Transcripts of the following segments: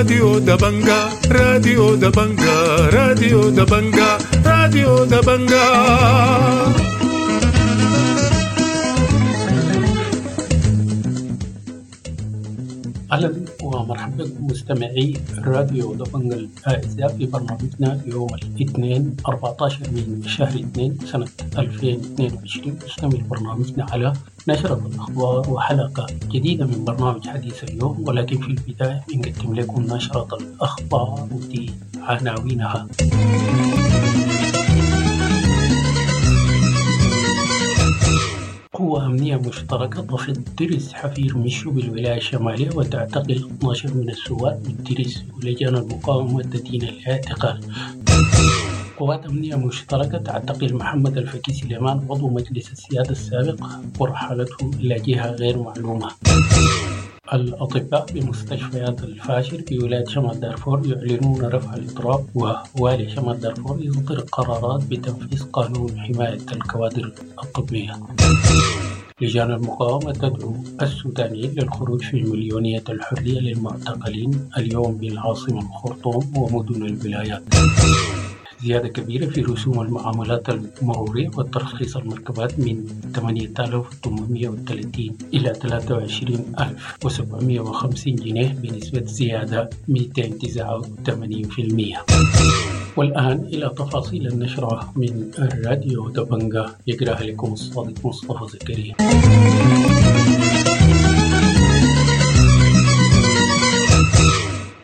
راديو دبنجا، راديو دبنجا، راديو دبنجا، راديو دبنجا. أهلا ومرحبا بكم مستمعي راديو دبنجا الأعزاء في برنامجنا يوم الاثنين 14 من شهر 2 سنة 2022. نستمر برنامجنا على نشرة الأخبار وحلقة جديدة من برنامج حديث اليوم، ولكن في البداية بنقدم لكم نشرة الأخبار ودي عناوينها. قوة أمنية مشتركة تفض ترس حفير مشو بالولاية الشمالية وتعتقل 12 من الثوار بالترس، ولجان المقاومة تدين الاعتقال. قوات أمنية مشتركة تعتقل محمد الفكي سليمان عضو مجلس السيادة السابق ورحلته إلى جهة غير معلومة. الأطباء بمستشفيات الفاشر بولاية شمال دارفور يعلنون رفع الإضراب، ووالي شمال دارفور يصدر قرارات بتنفيذ قانون حماية الكوادر الطبية. لجان المقاومة تدعو السودانيين للخروج في مليونية الحرية للمعتقلين اليوم بالعاصمة الخرطوم ومدن الولايات. زيادة كبيرة في رسوم المعاملات المرورية والترخيص المركبات من 8830 إلى 23750 جنيه بنسبة زيادة 289%. والآن إلى تفاصيل النشرة من الراديو دبنجا، يقرأها لكم الصادق مصطفى زكريا.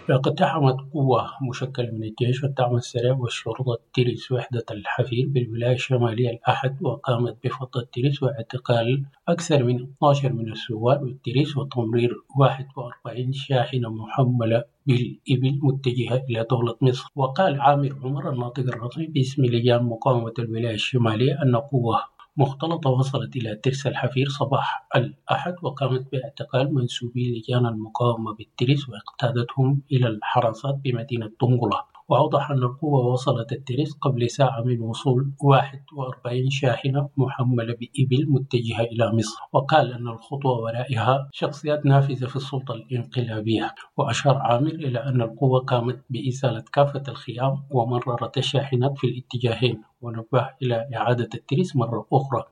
اقتحمت قوة مشكلة من الجيش والدعم السريع والشرطة ترس وحدة الحفير بالولاية الشمالية الأحد، وقامت بفض الترس واعتقال أكثر من 12 من الثوار بالترس وتمرير 41 شاحنة محملة بالإبل متجهة إلى دولة مصر. وقال عامر عمر الناطق الرسمي باسم لجان مقاومة الولاية الشمالية أن قوة مختلطة وصلت إلى ترس الحفير صباح الأحد وقامت باعتقال منسوبي لجان المقاومة بالترس واقتادتهم إلى الحراسات بمدينة دنقلة. وأوضح أن القوة وصلت الترس قبل ساعة من وصول 41 شاحنة محملة بإبل متجهة إلى مصر، وقال أن الخطوة ورائها شخصيات نافذة في السلطة الانقلابية. وأشار عامر إلى أن القوة قامت بإزالة كافة الخيام ومررت الشاحنات في الاتجاهين، ونبه إلى إعادة الترس مرة أخرى.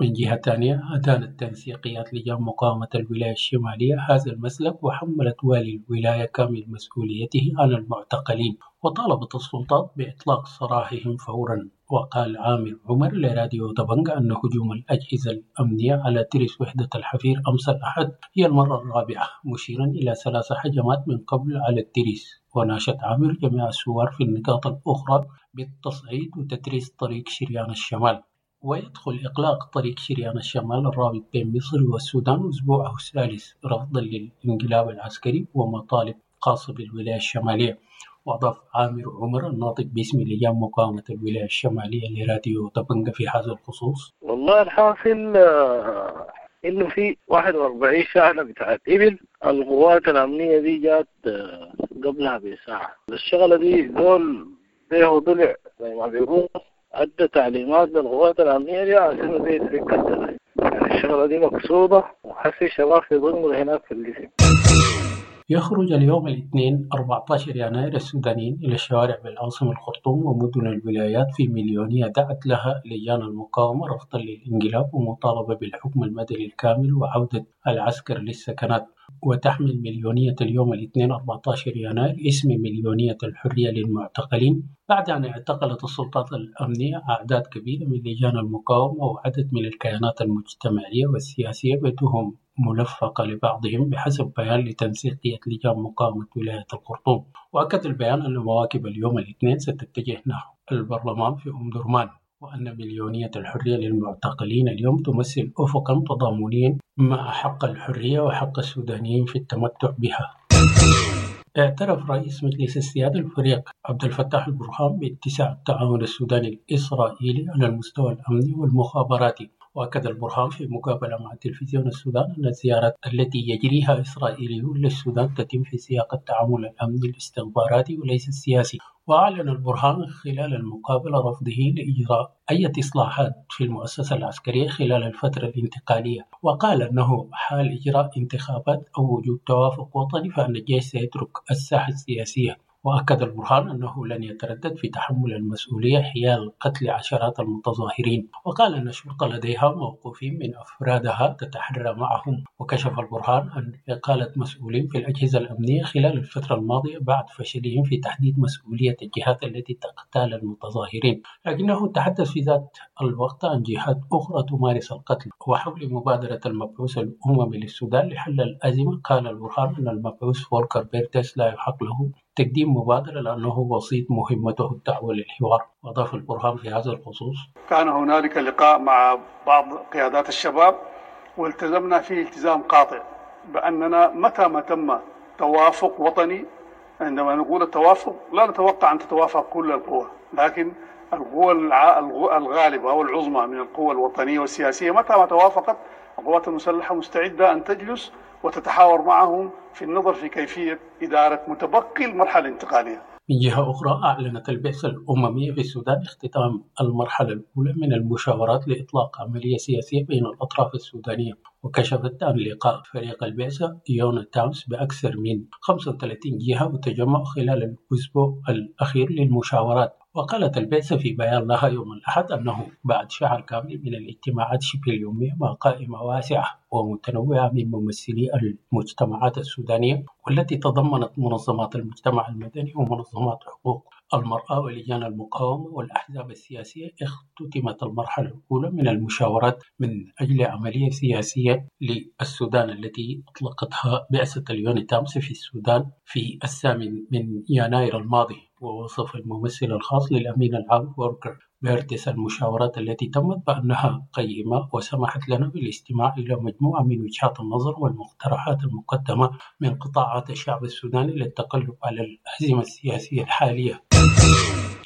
من جهة ثانية، أدانت تنسيقيات لجان مقاومة الولاية الشمالية هذا المسلك وحملت والي الولاية كامل مسؤوليته عن المعتقلين، وطالبت السلطات بإطلاق سراحهم فورا. وقال عامر عمر لراديو دبنجا أن هجوم الأجهزة الأمنية على ترس وحدة الحفير أمس الأحد هي المرة الرابعة، مشيرا إلى 3 هجمات من قبل على الترس. وناشد عامر جميع الثوار في النقاط الأخرى بالتصعيد وتتريس طريق شريان الشمال. ويدخل إغلاق طريق شريان الشمال الرابط بين مصر والسودان أسبوعه الثالث رفضا للانقلاب العسكري ومطالب خاصة بالولاية الشمالية. وأضاف عامر عمر الناطق باسم لجان مقاومة الولاية الشمالية لراديو دبنجا في هذا الخصوص: والله الحاصل إنه في 41 شاحنة بتاعت إبل، القوات الأمنية دي جات قبلها بساعة. الشغلة دي دول فيه ضلع زي ما بيقولوا، أدى تعليمات للقوات الأمنية دي عشان دي تفك، يعني الشغلة دي مقصودة، وحسي شباب في ظلم هناك في الجسم. يخرج اليوم الاثنين 14 يناير السودانيين إلى الشوارع بالعاصمة الخرطوم ومدن الولايات في مليونية دعت لها لجان المقاومة رفضا للانقلاب ومطالبة بالحكم المدني الكامل وعودة العسكر للسكنات. وتحمل مليونية اليوم الاثنين 14 يناير اسم مليونية الحرية للمعتقلين، بعد أن اعتقلت السلطات الأمنية أعداد كبيرة من لجان المقاومة وعدد من الكيانات المجتمعية والسياسية بتهم ملفقة لبعضهم، بحسب بيان لتنسيقية لجان مقاومة ولاية الخرطوم. وأكد البيان أن مواكب اليوم الاثنين ستتجه نحو البرلمان في أم درمان، وأن مليونية الحرية للمعتقلين اليوم تمثل أفقا تضامنيا مع حق الحرية وحق السودانيين في التمتع بها. اعترف رئيس مجلس السيادة الفريق عبد الفتاح البرهان باتساع التعاون السوداني الإسرائيلي على المستوى الأمني والمخابراتي. وأكد البرهان في مقابلة مع تلفزيون السودان أن الزيارات التي يجريها إسرائيليون للسودان تتم في سياق التعامل الأمني الاستخباراتي وليس السياسي. وأعلن البرهان خلال المقابلة رفضه لإجراء أي إصلاحات في المؤسسة العسكرية خلال الفترة الانتقالية، وقال أنه حال إجراء انتخابات أو وجود توافق وطني فإن الجيش سيترك الساحة السياسية. وأكد البرهان أنه لن يتردد في تحمل المسؤولية حيال قتل عشرات المتظاهرين، وقال أن الشرطة لديها موقوفين من أفرادها تتحرى معهم. وكشف البرهان عن إقالة مسؤولين في الأجهزة الأمنية خلال الفترة الماضية بعد فشلهم في تحديد مسؤولية الجهات التي تقتال المتظاهرين، لكنه تحدث في ذات الوقت عن جهات أخرى تمارس القتل. وحول مبادرة المبعوث الأممي للسودان لحل الأزمة، قال البرهان أن المبعوث فولكر بيرتس لا يحق له تقديم مبادرة لأنه وسيط مهمته الدعوة للحوار. وأضاف البرهان في هذا الخصوص: كان هنالك لقاء مع بعض قيادات الشباب والتزمنا فيه التزام قاطع بأننا متى ما تم توافق وطني، عندما نقول التوافق لا نتوقع أن تتوافق كل القوى، لكن القوى الغالبة أو العظمى من القوى الوطنية والسياسية متى ما توافقت، القوات المسلحة مستعدة أن تجلس وتتحاور معهم في النظر في كيفية إدارة متبقي المرحلة الانتقالية. من جهة أخرى، أعلنت البعثة الأممية في السودان اختتام المرحلة الأولى من المشاورات لإطلاق عملية سياسية بين الأطراف السودانية. وكشفت عن لقاء فريق البعثة يونيتامس بأكثر من 35 جهة وتجمع خلال الأسبوع الأخير للمشاورات. وقالت البعثة في بيان لها يوم الأحد أنه بعد شهر كامل من الاجتماعات شبه اليومية مع قائمة واسعة ومتنوعة من ممثلي المجتمعات السودانية، والتي تضمنت منظمات المجتمع المدني ومنظمات حقوق المرأة ولجان المقاومة والأحزاب السياسية، اختتمت المرحلة الأولى من المشاورات من أجل عملية سياسية للسودان التي أطلقتها بعثة اليونيتامس في السودان في 8 يناير الماضي. ووصف الممثل الخاص للأمين العام فولكر بيرتس المشاورات التي تمت بأنها قيمة وسمحت لنا بالاستماع إلى مجموعة من وجهات النظر والمقترحات المقدمة من قطاعات الشعب السوداني للتقلب على الأزمة السياسية الحالية.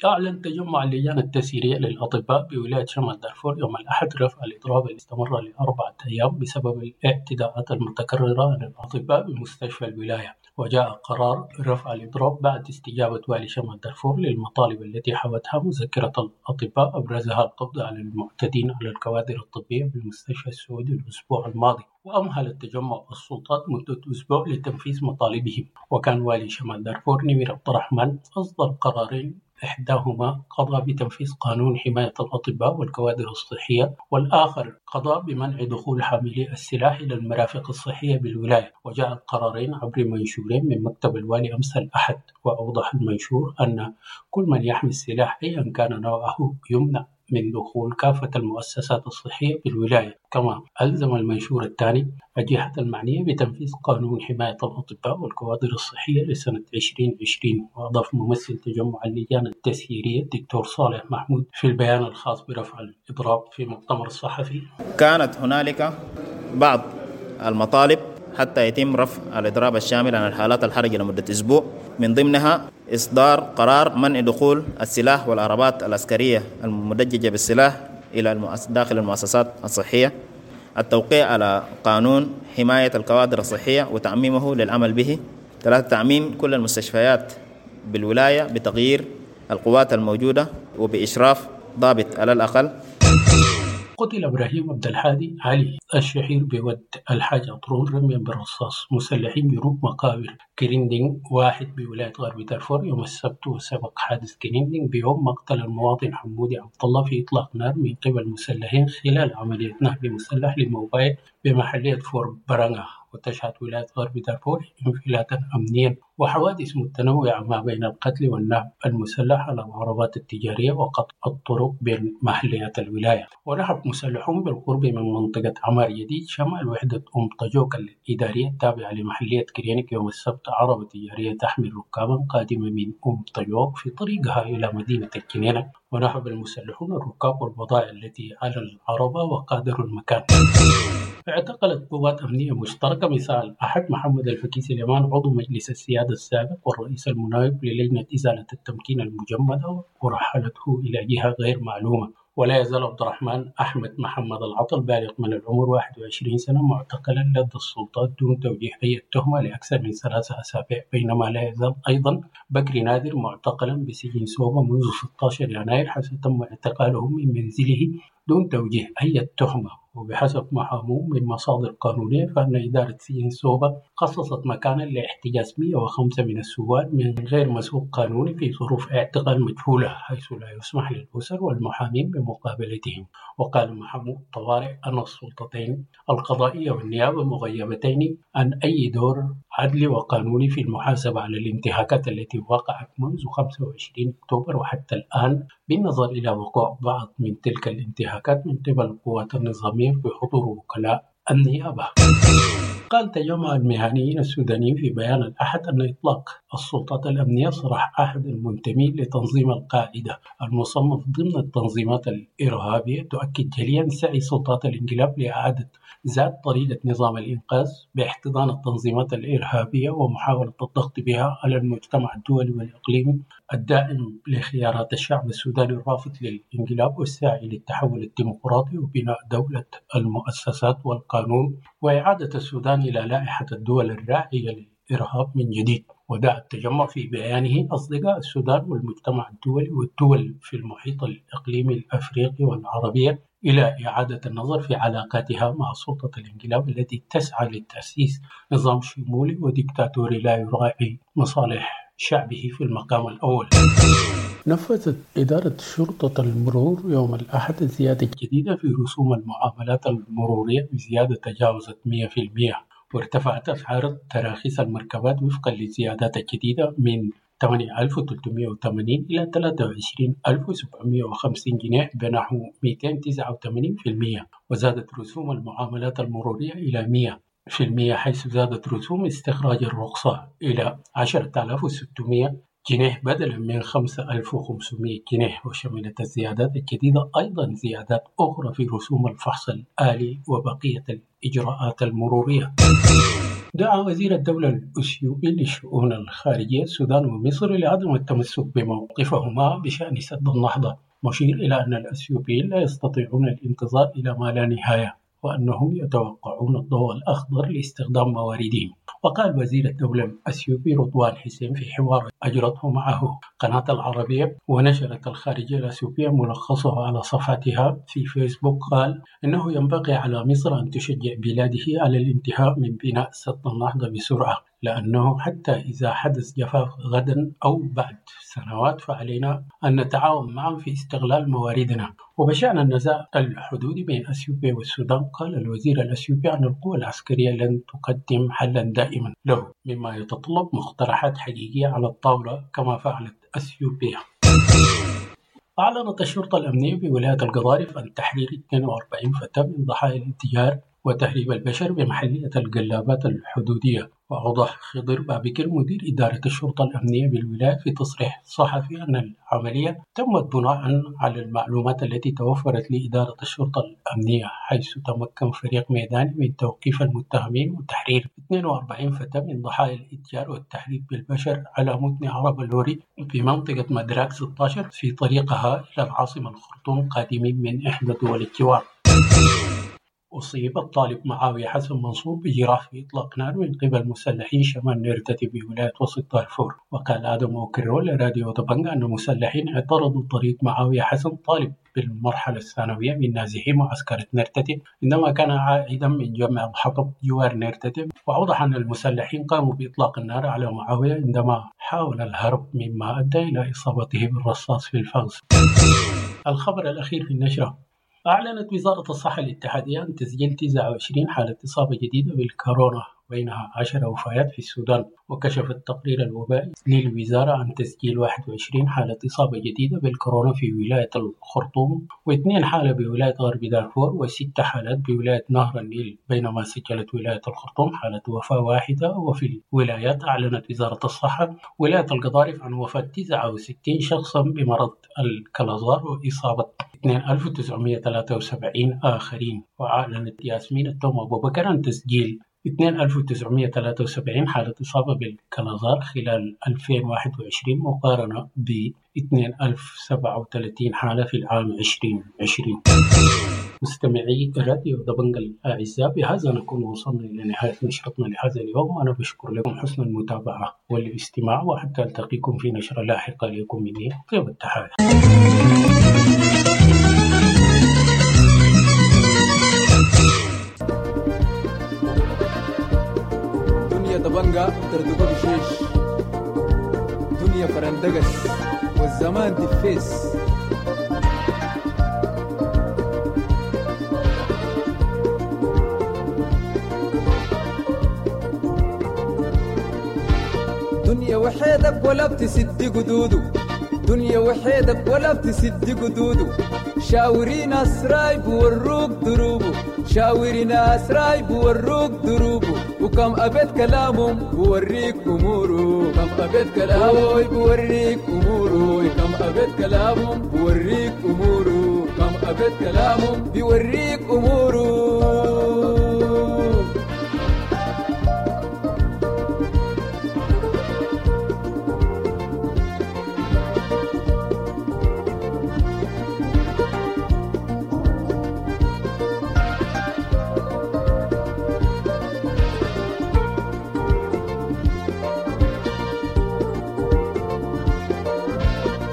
أعلن تجمع اللجان التسييرية للأطباء بولاية شمال دارفور يوم الأحد رفع الإضراب اللي استمر ل4 أيام بسبب الاعتداءات المتكررة على الأطباء بمستشفى الولاية. وجاء قرار رفع الإضراب بعد استجابة والي شمال دارفور للمطالب التي حوتها مذكرة الأطباء، أبرزها القبض على المعتدين على الكوادر الطبية بالمستشفى السعودي الأسبوع الماضي. وأمهل التجمع السلطات مدة أسبوع لتنفيذ مطالبهم. وكان والي شمال دارفور نمير عبد الرحمن أصدر قرارين، إحداهما قضى بتنفيذ قانون حماية الأطباء والكوادر الصحية، والآخر قضى بمنع دخول حاملي السلاح إلى المرافق الصحية بالولاية. وجاء القرارين عبر منشورين من مكتب الوالي أمس الأحد. وأوضح المنشور أن كل من يحمل السلاح أيا كان نوعه يمنع من دخول كافة المؤسسات الصحية بالولاية. كما ألزم المنشور الثاني الجهات المعنية بتنفيذ قانون حماية الأطباء والكوادر الصحية لسنة 2020. وأضاف ممثل تجمع اللجان التسييرية الدكتور صالح محمود في البيان الخاص برفع الإضراب في مؤتمر الصحفي: كانت هنالك بعض المطالب حتى يتم رفع الإضراب الشامل عن الحالات الحرجة لمدة أسبوع، من ضمنها إصدار قرار منع دخول السلاح والعربات العسكرية المدججة بالسلاح إلى داخل المؤسسات الصحية، التوقيع على قانون حماية الكوادر الصحية وتعميمه للعمل به، 3 تعميم كل المستشفيات بالولاية بتغيير القوات الموجودة وبإشراف ضابط على الأقل. قتل إبراهيم عبد الحادي علي الشهير بود الحاج عطرون رميا بالرصاص مسلحين جنوب مقابر كريندينغ 1 بولاية غرب دارفور يوم السبت. وسبق حادث كريندينغ بيوم مقتل المواطن حمودي عبد الله في إطلاق نار من قبل مسلحين خلال عملية نهب مسلح لموبايل بمحلية فور برانغا. وتشهد ولاية غرب دارفور انفلاتا أمنيا وحوادث متنوعة ما بين القتل والنهب المسلح على العربات التجارية وقطع الطرق بين محليات الولاية. ونهب مسلحون بالقرب من منطقة عمار جديد شمال وحدة أم طجوك الإدارية التابعة لمحلية كرينك يوم السبت عربة تجارية تحمل ركابا قادمة من أم طجوك في طريقها إلى مدينة الجنينة. ونهب المسلحون الركاب والبضائع التي على العربة وقادروا المكان. اعتقلت قوات أمنية مشتركة مساء الأحد محمد الفكي سليمان عضو مجلس السيادة السابق والرئيس المناوب للجنة إزالة التمكين المجمدة ورحلته إلى جهة غير معلومة. ولا يزال عبد الرحمن أحمد محمد العطل بالغ من العمر 21 سنة معتقلا لدى السلطات دون توجيه أي تهمة لأكثر من 3 أسابيع، بينما لا يزال أيضا بكري نادر معتقلا بسجن سوبا منذ 16 يناير حيث تم اعتقاله من منزله دون توجيه أي تهمة. وبحسب محاموه من مصادر قانونية فإن إدارة سجن سوبا خصصت مكانا لاحتجاز 105 من الثوار من غير مسوق قانوني في ظروف اعتقال مجهولة، حيث لا يسمح للأسر والمحامين بمقابلتهم. وقال محامو الطوارئ أن السلطتين القضائية والنيابة مغيبتين عن أي دور عدلي وقانوني في المحاسبة على الانتهاكات التي وقعت منذ 25 أكتوبر وحتى الآن، بالنظر إلى وقوع بعض من تلك الانتهاكات من قبل القوات النظامية بحضور وكلاء النيابة. قال تجمع المهنيين السودانيين في بيان الأحد أن إطلاق السلطات الأمنية سراح أحد المنتمين لتنظيم القاعدة المصنف ضمن التنظيمات الإرهابية تؤكد جليا سعي سلطات الانقلاب لإعادة ذات طريقة نظام الإنقاذ باحتضان التنظيمات الإرهابية ومحاولة الضغط بها على المجتمع الدولي والإقليمي الداعم لخيارات الشعب السوداني الرافض للانقلاب والساعي للتحول الديمقراطي وبناء دولة المؤسسات والقانون وإعادة السودان إلى لائحة الدول الراعية للإرهاب من جديد. ودعا التجمع في بيانه أصدقاء السودان والمجتمع الدولي والدول في المحيط الإقليمي الأفريقي والعربية إلى إعادة النظر في علاقاتها مع سلطة الانقلاب التي تسعى لتأسيس نظام شمولي وديكتاتوري لا يراعي مصالح شعبه في المقام الأول. نفذت إدارة شرطة المرور يوم الأحد الزيادة الجديدة في رسوم المعاملات المرورية بزيادة تجاوزت 100%، وارتفعت أسعار تراخيص المركبات وفقا للزيادات الجديدة من 8380 إلى 23750 جنيه بنحو 289%، وزادت رسوم المعاملات المرورية إلى 100%، حيث زادت رسوم استخراج الرخصة إلى 10600 جنيه بدلا من 5500 جنيه. وشملت الزيادات الجديدة أيضا زيادات أخرى في رسوم الفحص الآلي وبقية الإجراءات المرورية. دعا وزير الدولة الأثيوبي للشؤون الخارجية السودان ومصر لعدم التمسك بموقفهما بشأن سد النهضة، مشير إلى أن الأثيوبيين لا يستطيعون الانتظار إلى ما لا نهاية وأنهم يتوقعون الضوء الأخضر لاستخدام مواردهم. وقال وزير الدولة الأثيوبي رضوان حسين في حوار أجرته معه قناة العربية ونشرت الخارجية الأثيوبية ملخصه على صفحتها في فيسبوك، قال إنه ينبغي على مصر أن تشجع بلاده على الانتهاء من بناء سد النهضة بسرعة، لأنه حتى إذا حدث جفاف غدا أو بعد سنوات فعلينا أن نتعاون معا في استغلال مواردنا. وبشأن النزاع الحدودي بين أثيوبيا والسودان، قال الوزير الأثيوبي أن القوى العسكرية لن تقدم حلا دائما له، مما يتطلب مقترحات حقيقية على الطاولة كما فعلت أثيوبيا. أعلنت الشرطة الأمنية بولاية القضارف عن تحرير 42 فتاة من ضحايا الاتجار وتهريب البشر بمحلية القلابات الحدودية. وأوضح خضر بابكر مدير إدارة الشرطة الأمنية بالولاية في تصريح صحفي أن العملية تمت بناء على المعلومات التي توفرت لإدارة الشرطة الأمنية، حيث تمكن فريق ميداني من توقيف المتهمين وتحرير 42 فتاة من ضحايا الاتجار والتهريب بالبشر على متن عربة لوري بمنطقة مدراك 16 في طريقها إلى العاصمة الخرطوم قادمين من إحدى دول الجوار. أصيب الطالب معاوية حسن منصور بجراح في إطلاق نار من قبل مسلحين شمال نيرتتي بولاية وسط دارفور. وقال آدم أوكرو لراديو دبنجا أن مسلحين اعترضوا طريق معاوية حسن طالب بالمرحلة الثانوية من نازحي معسكرة نيرتتي عندما كان عائدا من جمع الحطب جوار نيرتتي. وأوضح أن المسلحين قاموا بإطلاق النار على معاوية عندما حاول الهرب، مما أدى إلى إصابته بالرصاص في الفغز. الخبر الأخير في النشرة: أعلنت وزارة الصحة الاتحادية عن تسجيل 29 حالة إصابة جديدة بالكورونا، بينها 10 وفيات في السودان. وكشف التقرير الوبائي للوزارة عن تسجيل 21 حالة إصابة جديدة بالكورونا في ولاية الخرطوم، و2 حالة بولاية غرب دارفور، و6 حالات بولاية نهر النيل، بينما سجلت ولاية الخرطوم حالة وفاة واحدة. وفي الولايات أعلنت وزارة الصحة ولاية القضارف عن وفاة 69 شخصا بمرض الكلازار وإصابة 2973 آخرين. وأعلنت ياسمين التوم أبو بكر عن تسجيل 2973 حالة إصابة بالكلازار خلال 2021 مقارنة ب 2037 حالة في العام 2020. مستمعي راديو دبنجا الأعزاء، بهذا نكون وصلنا إلى نهاية نشرتنا لهذا اليوم. أنا بشكر لكم حسن المتابعة والاستماع، وحتى ألتقيكم في نشرة لاحقة. لكم مني طيب التحايا. دنيا دبنجا تردقو بشيش، دنيا فرندقس والزمان دفيس. دنيا وحيدك ولا بتسد قدوده، دنيا وحيدك ولا بتسد قدوده. شاوري ناس رايب وروك دروبه، شاوري ناس رايب وروك دروبه. وكم أبيت كلامهم بوريك أموره، كم أبيت كلامه بوريك أموره، كم أبيت كلامهم بوريك أموره، كم أبيت كلامهم بيوريك أموره.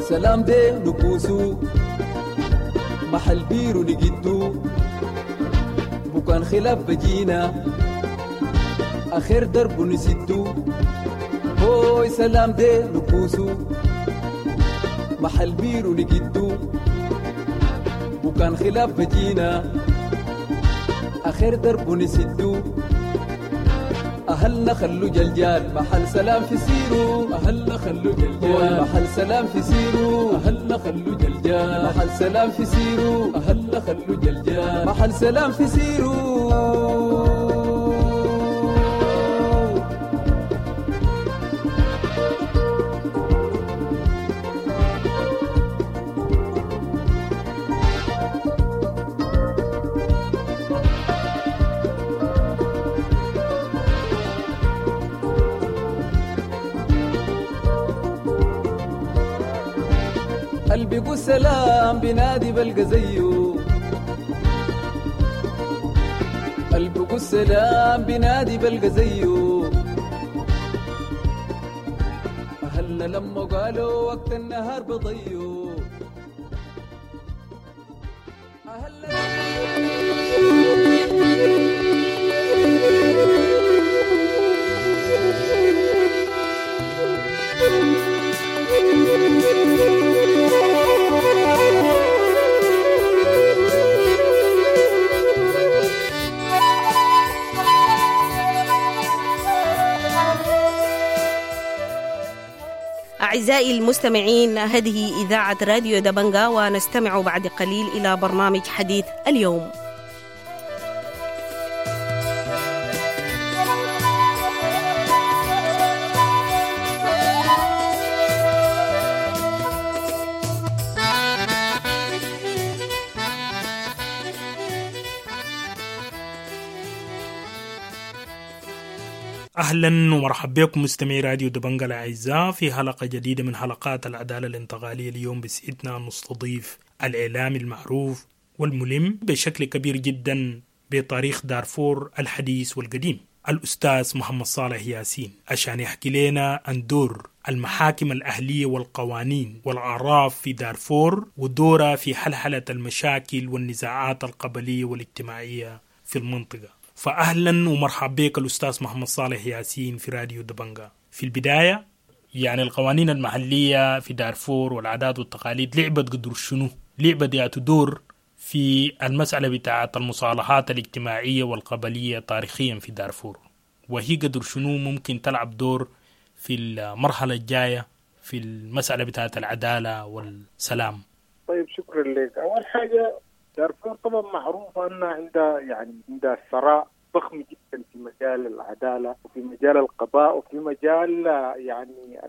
سلام دي نكوسو محل بيرو نجدو، بكان خلاف بجينا آخر درب نسدو. هوي سلام دي نكوسو محل بيرو نجدو، بكان خلاف بجينا آخر درب نسدو. أهلنا خلو جلجال محل سلام في سيرو، أهلنا خلو جلجال محل سلام في سيرو، أهلنا خلو جلجال محل سلام في سيرو، أهلنا خلو جلجال محل سلام في سيرو. قلبي سلام بنادي بلقى زيه، قلبي سلام بنادي بلقى زيه. أهلنا لما قالوا وقت النهار بضيه، أهلنا. أعزائي المستمعين، هذه إذاعة راديو دبنجا، ونستمع بعد قليل إلى برنامج حديث اليوم. أهلا ومرحبا بكم مستمعي راديو دبنجا الأعزاء في حلقة جديدة من حلقات العدالة الانتقالية. اليوم بسعدنا أن نستضيف الإعلامي المعروف والملم بشكل كبير جدا بتاريخ دارفور الحديث والقديم، الأستاذ محمد صالح ياسين، عشان يحكي لنا عن دور المحاكم الأهلية والقوانين والأعراف في دارفور ودورها في حلحلة المشاكل والنزاعات القبلية والاجتماعية في المنطقة. فأهلا ومرحبا بك الأستاذ محمد صالح ياسين في راديو دبنجا. في البداية، يعني القوانين المحلية في دارفور والعادات والتقاليد لعبت قدر شنو؟ لعبت ياتو دور في المسألة بتاعة المصالحات الاجتماعية والقبلية تاريخيا في دارفور، وهي قدر شنو ممكن تلعب دور في المرحلة الجاية في المسألة بتاعة العدالة والسلام؟ طيب، شكرا لك. أول حاجة، دارفور طبعا معروفة أنها عندها يعني عندها ثراء ضخم جدا في مجال العدالة وفي مجال القضاء وفي مجال يعني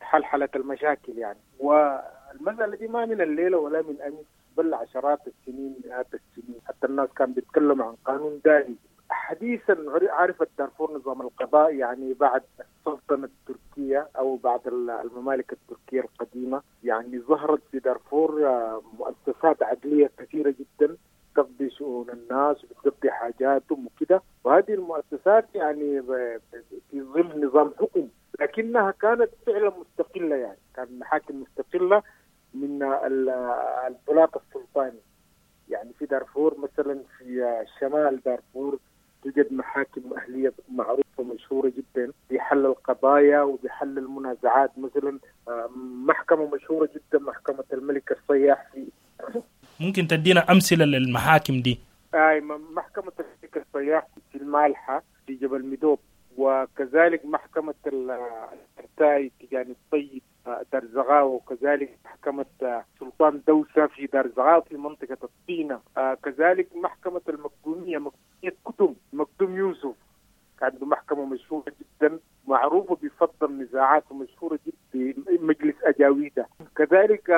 حلحلة المشاكل يعني. والمسألة دي ما من الليلة ولا من أمس، بل عشرات السنين، مئات السنين. حتى الناس كانوا بيتكلموا عن قانون دائم. حديثا عرفت دارفور نظام القضاء يعني بعد السلطنة التركية أو بعد الممالك التركية القديمة. يعني ظهرت في دارفور مؤسسات عدلية كثيرة جدا تقضي شؤون الناس وبتقضي حاجاتهم وكده، وهذه المؤسسات يعني في ظل نظام حكم، لكنها كانت فعلا مستقلة، يعني كان محاكم مستقلة من البلاط السلطاني. يعني في دارفور مثلا في شمال دارفور توجد محاكم أهلية معروفة مشهورة جدا بحل القضايا وبحل المنازعات. مثلا محكمة مشهورة جدا محكمة الملك الصياح في ممكن تدينا أمثلة للمحاكم دي؟ أي محكمة الملك الصياح في المالحة في جبل مدوب، وكذلك محكمة الشرتاي تجاني الطيب دار زغاوة، وكذلك محكمة سلطان دوسة في دار زغاوة في منطقة الطينة، كذلك محكمة المقدومية، مقدومية كتم، مقدوم يوسف، عنده محكمة مشهورة جدا معروفة بفض النزاعات ومشهورة جدا بمجلس أجاويدة. كذلك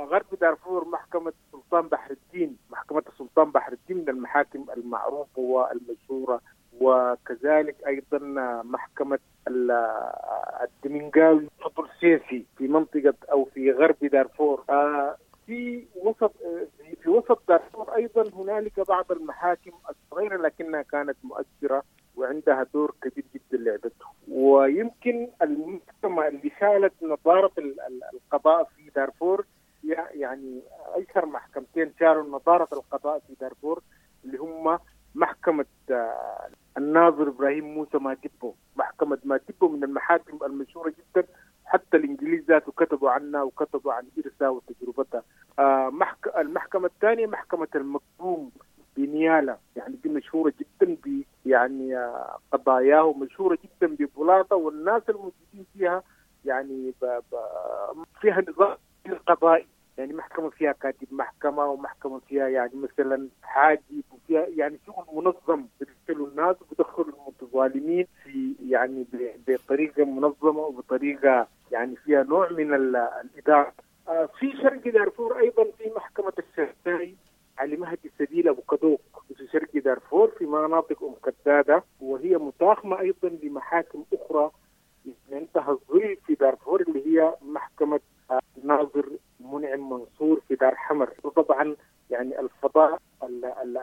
غرب دارفور محكمة سلطان بحر الدين، محكمة السلطان بحر الدين من المحاكم المعروفة والمشهورة، وكذلك أيضا محكمة الدمنجاوي فضل سيسي في منطقة أو في غرب دارفور. في وسط دارفور أيضا هنالك بعض المحاكم الصغيرة لكنها كانت مؤثرة وعندها دور كبير جدا لعبته. ويمكن المحكمة اللي شالت نظارة القضاء في دارفور، يعني أشهر محكمتين شالوا نظارة القضاء في دارفور اللي هم محكمة الناظر إبراهيم موسى مادبو. محكمة مادبو من المحاكم المشهورة جدا، حتى الإنجليز ذاته كتبوا عنها وكتبوا عن إرثها وتجربتها. المحكمة الثانية محكمة المقدوم بنيالا، يعني دي مشهورة جدا ب يعني قضاياه ومشهورة جدا ببلاطة، والناس الموجودين فيها يعني فيها نظام قضائي، يعني محكمة فيها كاتب محكمة، ومحكمة فيها يعني مثلا حاجب، وفيها يعني شغل منظم، بيدخلوا الناس وبيدخلوا المتظالمين في يعني بطريقة منظمة وبطريقة يعني فيها نوع من الإدارة. في شرق دارفور أيضا في محكمة الشرتاي علي مهدي سبيل أبو كدوك في شرق دارفور في مناطق أم كدادة، وهي متاخمة أيضا لمحاكم أخرى عندها الظل في دارفور اللي هي محكمة ناظر منعم منصور في دار حمر. وطبعا يعني الفضاء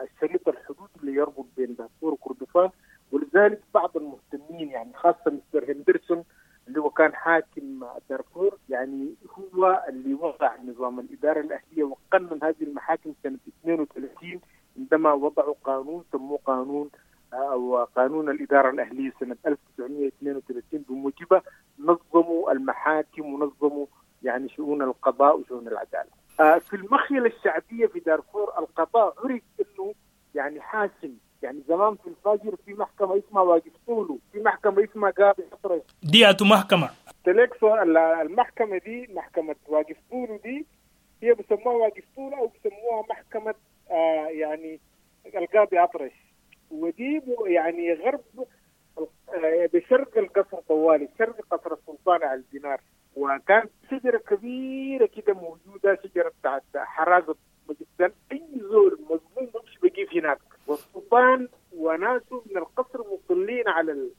الشريط الحدود اللي يربط بين دارفور وكردفان، ولذلك بعض المهتمين يعني خاصة مستر هندرسون اللي هو كان حاكم دارفور، يعني هو اللي وضع نظام الإدارة الأهلية وقنن هذه المحاكم سنة 32 عندما وضعوا قانون سموه قانون أو قانون الإدارة الأهلية سنة 1932، بموجبه نظموا المحاكم ونظموا يعني شؤون القضاء وشؤون العدالة. في المخيلة الشعبية في دارفور القضاء عرف أنه يعني حاسم. يعني زمان في الفجر في محكمة اسمها واقف طوله، في محكمة اسمها قاضي أطرش. دي أتو محكمة تلك المحكمة دي محكمة واقف طوله، دي هي بسموها واقف طوله أو بسموها محكمة يعني القاضي أطرش، ودي يعني غرب بشرق القصر طوالي، شرق قصر السلطان على الدينار. وكان شجرة كبيرة كده موجودة، شجرة بتاعت حرازة جدا، أي زول مظلوم بمشي بقيف هناك، والسلطان وناسه من القصر مطلين على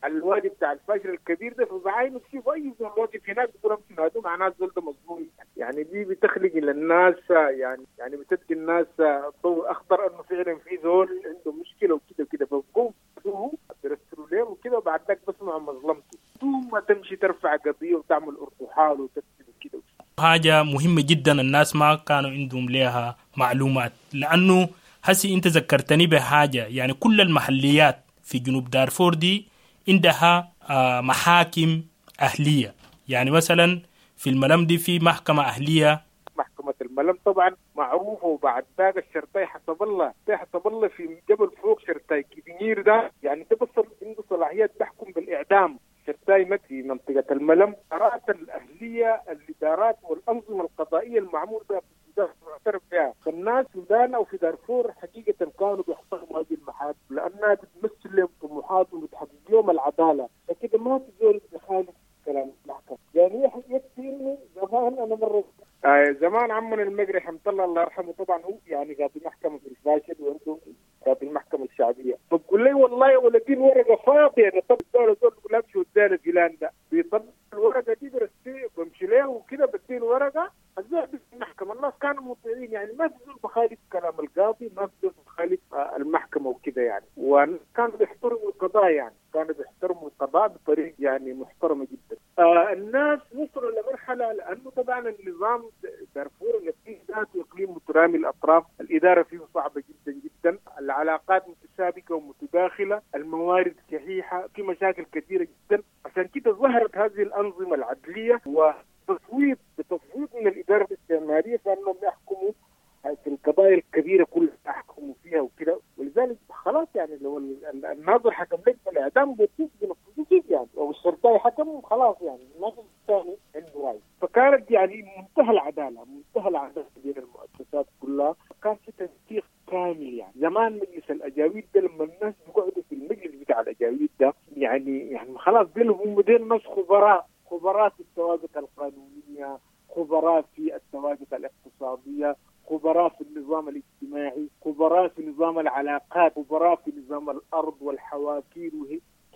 الوادي بتاع الفجر الكبير ده، فبعاينوا تشوفوا أي زول واقف هناك بيقولوا امشوا نادوا معناه الزول ده مظلوم. يعني دي بتخلق للناس يعني بتدي الناس ضوء أخضر إنه فعلا في زول عنده مشكلة وكده وكده، فبقوم بيرسلوا له وكده، وبعد ذاك بسمعوا مظلمته، ثم تمشي ترفع قضية وتعمل ارتحال وتكتب وكده. حاجة مهمة جدا الناس ما كانوا عندهم لها معلومات، لأنه هسي أنت ذكرتني بحاجة، يعني كل المحليات في جنوب دارفور دي عندها محاكم أهلية. يعني مثلا في الملم دي في محكمة أهلية، محكمة الملم طبعا معروفة، وبعد ذاك الشرطي حسب الله، حسب الله في جبل فوق شرطي كبير ده، يعني تبصر عنده صلاحيات تحكم بالإعدام. شرطي مكي في منطقة الملم. قرارات الأهلية الإدارات والأنظمة القضائية المعمول بها في السودان معترف بها، فالناس في السودان أو في دارفور حقيقة كانوا بيحترموا هذه المحاكم لأنها بتمثل لهم طموحاتهم وبتحقق لهم العدالة، فكده ما في زول بيخالف كلام المحكمة. يعني يكفي إنه زمان أنا مرة زمان عمنا المقري حمد الله الله يرحمه، طبعا هو يعني قاضي محكمة في الفاشل وعنده قاضي المحكمة الشعبية. الشعبية. فبقول لي والله يا ولدي الورقة فاضية، انا طب زول بقول امشي وديها فلان ده بيطلع الورقة دي برسي بمشي له وكده بدي الورقة الزول المحكمة. الناس كانوا مطيعين يعني، ما في زول بخالف كلام القاضي، ما في زول بخالف المحكمة وكده يعني، وكانوا بيحترموا القضاء يعني، كانوا بيحترموا القضاء بطريقة يعني محترمه جدا. الناس وصلوا لمرحلة، لانه طبعا النظام دارفور الاقليم ذاته اقليم مترامي الاطراف، الادارة فيه صعبة جدا جدا، العلاقات متشابكه ومتداخله، الموارد شحيحة، في مشاكل كثيرة جدا. عشان كده ظهرت هذه الانظمة العدليه وتصويت بتصويت من الادارة الاستعمارية فانهم يحكموا في القضايا الكبيرة كلها، يحكموا فيها وكده. ولذلك خلاص يعني لو الناظر حكم لك بالاعدام بينفذوه يعني، او الشرطي حكم خلاص يعني ما في ثاني عنده راي. فكانت يعني منتهى العدالة، منتهى العدالة بين المؤسسات كلها، كان في تنسيق كامل يعني. زمان مجلس الاجاويد ده لما الناس بيقعدوا في المجلس بتاع الاجاويد ده يعني خلاص ديل هم ديل ناس خبراء، خبراء في السوابق القانونية، خبراء في السوابق الاقتصادية، خبراء في النظام الاجتماعي، خبراء في نظام العلاقات، خبراء في نظام الارض والحواكير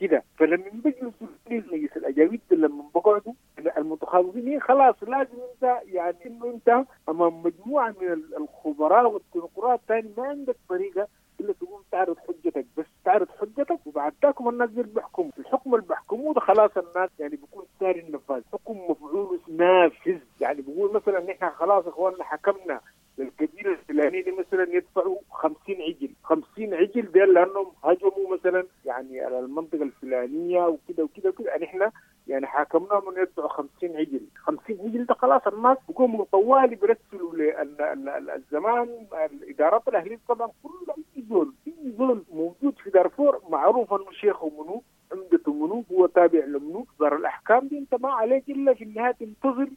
كده. فلما بيجلسوا مجلس الاجاويد لما بقعدوا المتخصصين خلاص لازم انت يعني انه انت امام مجموعة من الخبراء والتنقرات ثاني ما عندك طريقه الا تقوم تعرض حجتك، بس تعرض حجتك وبعد ذاك الناس دي بيحكموا الحكم اللي بيحكموه ده خلاص الناس يعني بيكون ساري النفاذ، حكم مفعول نافذ. يعني بيقول مثلا نحن خلاص اخواننا حكمنا للقبيلة الفلانية دي مثلا يدفعوا 50 عجل، 50 عجل ديل لانهم هجموا مثلا يعني على المنطقة الفلانية وكده وكده وكده، يعني احنا يعني حاكمناهم انه يدفعوا 50 عجل، 50 عجل ده خلاص الناس بيقوموا طوالي بيرسلوا للزمان الادارات الاهلية طبعا كل اي زول اي زول موجود في دارفور معروف انه شيخه منو، عمدته منو، هو تابع لمنو، صدر الاحكام دي انت ما عليك الا في النهاية تنتظر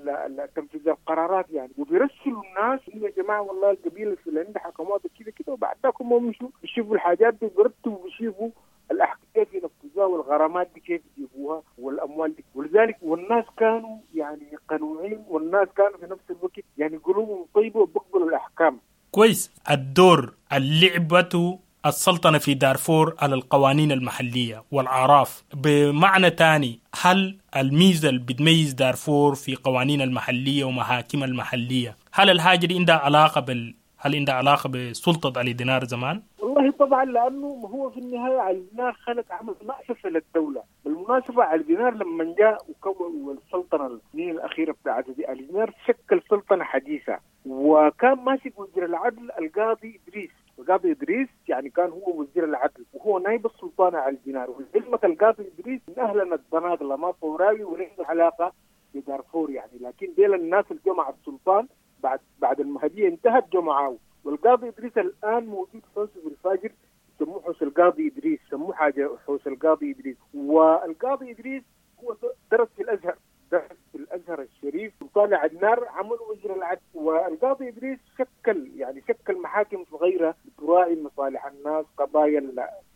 تنفيذ القرارات يعني. وبيرسلوا الناس يا جماعة والله القبيلة الفلانية حكموها كده كده، وبعد ذاك هم مشوا بيشوفوا الحاجات دي بيرتبوا وبيشوفوا الاحكام كيف ينفذوها والغرامات دي كيف يجيبوها والاموال دي. ولذلك والناس كانوا يعني قنوعين، والناس كانوا في نفس الوقت يعني قلوبهم طيبة وبيقبلوا الاحكام. كويس. الدور اللعبة السلطنة في دارفور على القوانين المحلية والأعراف، بمعنى تاني هل الميزة اللي بتميز دارفور في قوانين المحلية ومحاكم المحلية، هل الحاجة دي عندها علاقة هل عندها علاقة بسلطة علي دينار زمان؟ والله طبعا، لانه هو في النهاية علي دينار خلق عمل مأسسه للدولة. بالمناسبة علي دينار لما جاء وكون السلطنة السنين الاخيرة بتاعته دي، علي دينار شكل سلطنة حديثه، وكان ماسك وزير العدل القاضي ادريس. القاضي ادريس يعني كان هو وزير العدل وهو نائب السلطان علي دينار. ولعلمك القاضي ادريس من اهلنا الدناقله، ما فوراوي ولا عنده علاقة بدارفور يعني، لكن ديل الناس اللي جمع السلطان بعد المهدية انتهت جمعاه. والقاضي ادريس الان موجود حوش في الفاجر، سموه حوش القاضي ادريس، سموه حاجة حوش القاضي ادريس. والقاضي ادريس هو درس في الازهر، درس في الازهر الشريف، وطالع عدنار عمل وزير العدل. والقاضي ادريس شكل يعني شكل محاكم صغيرة تراعي مصالح الناس،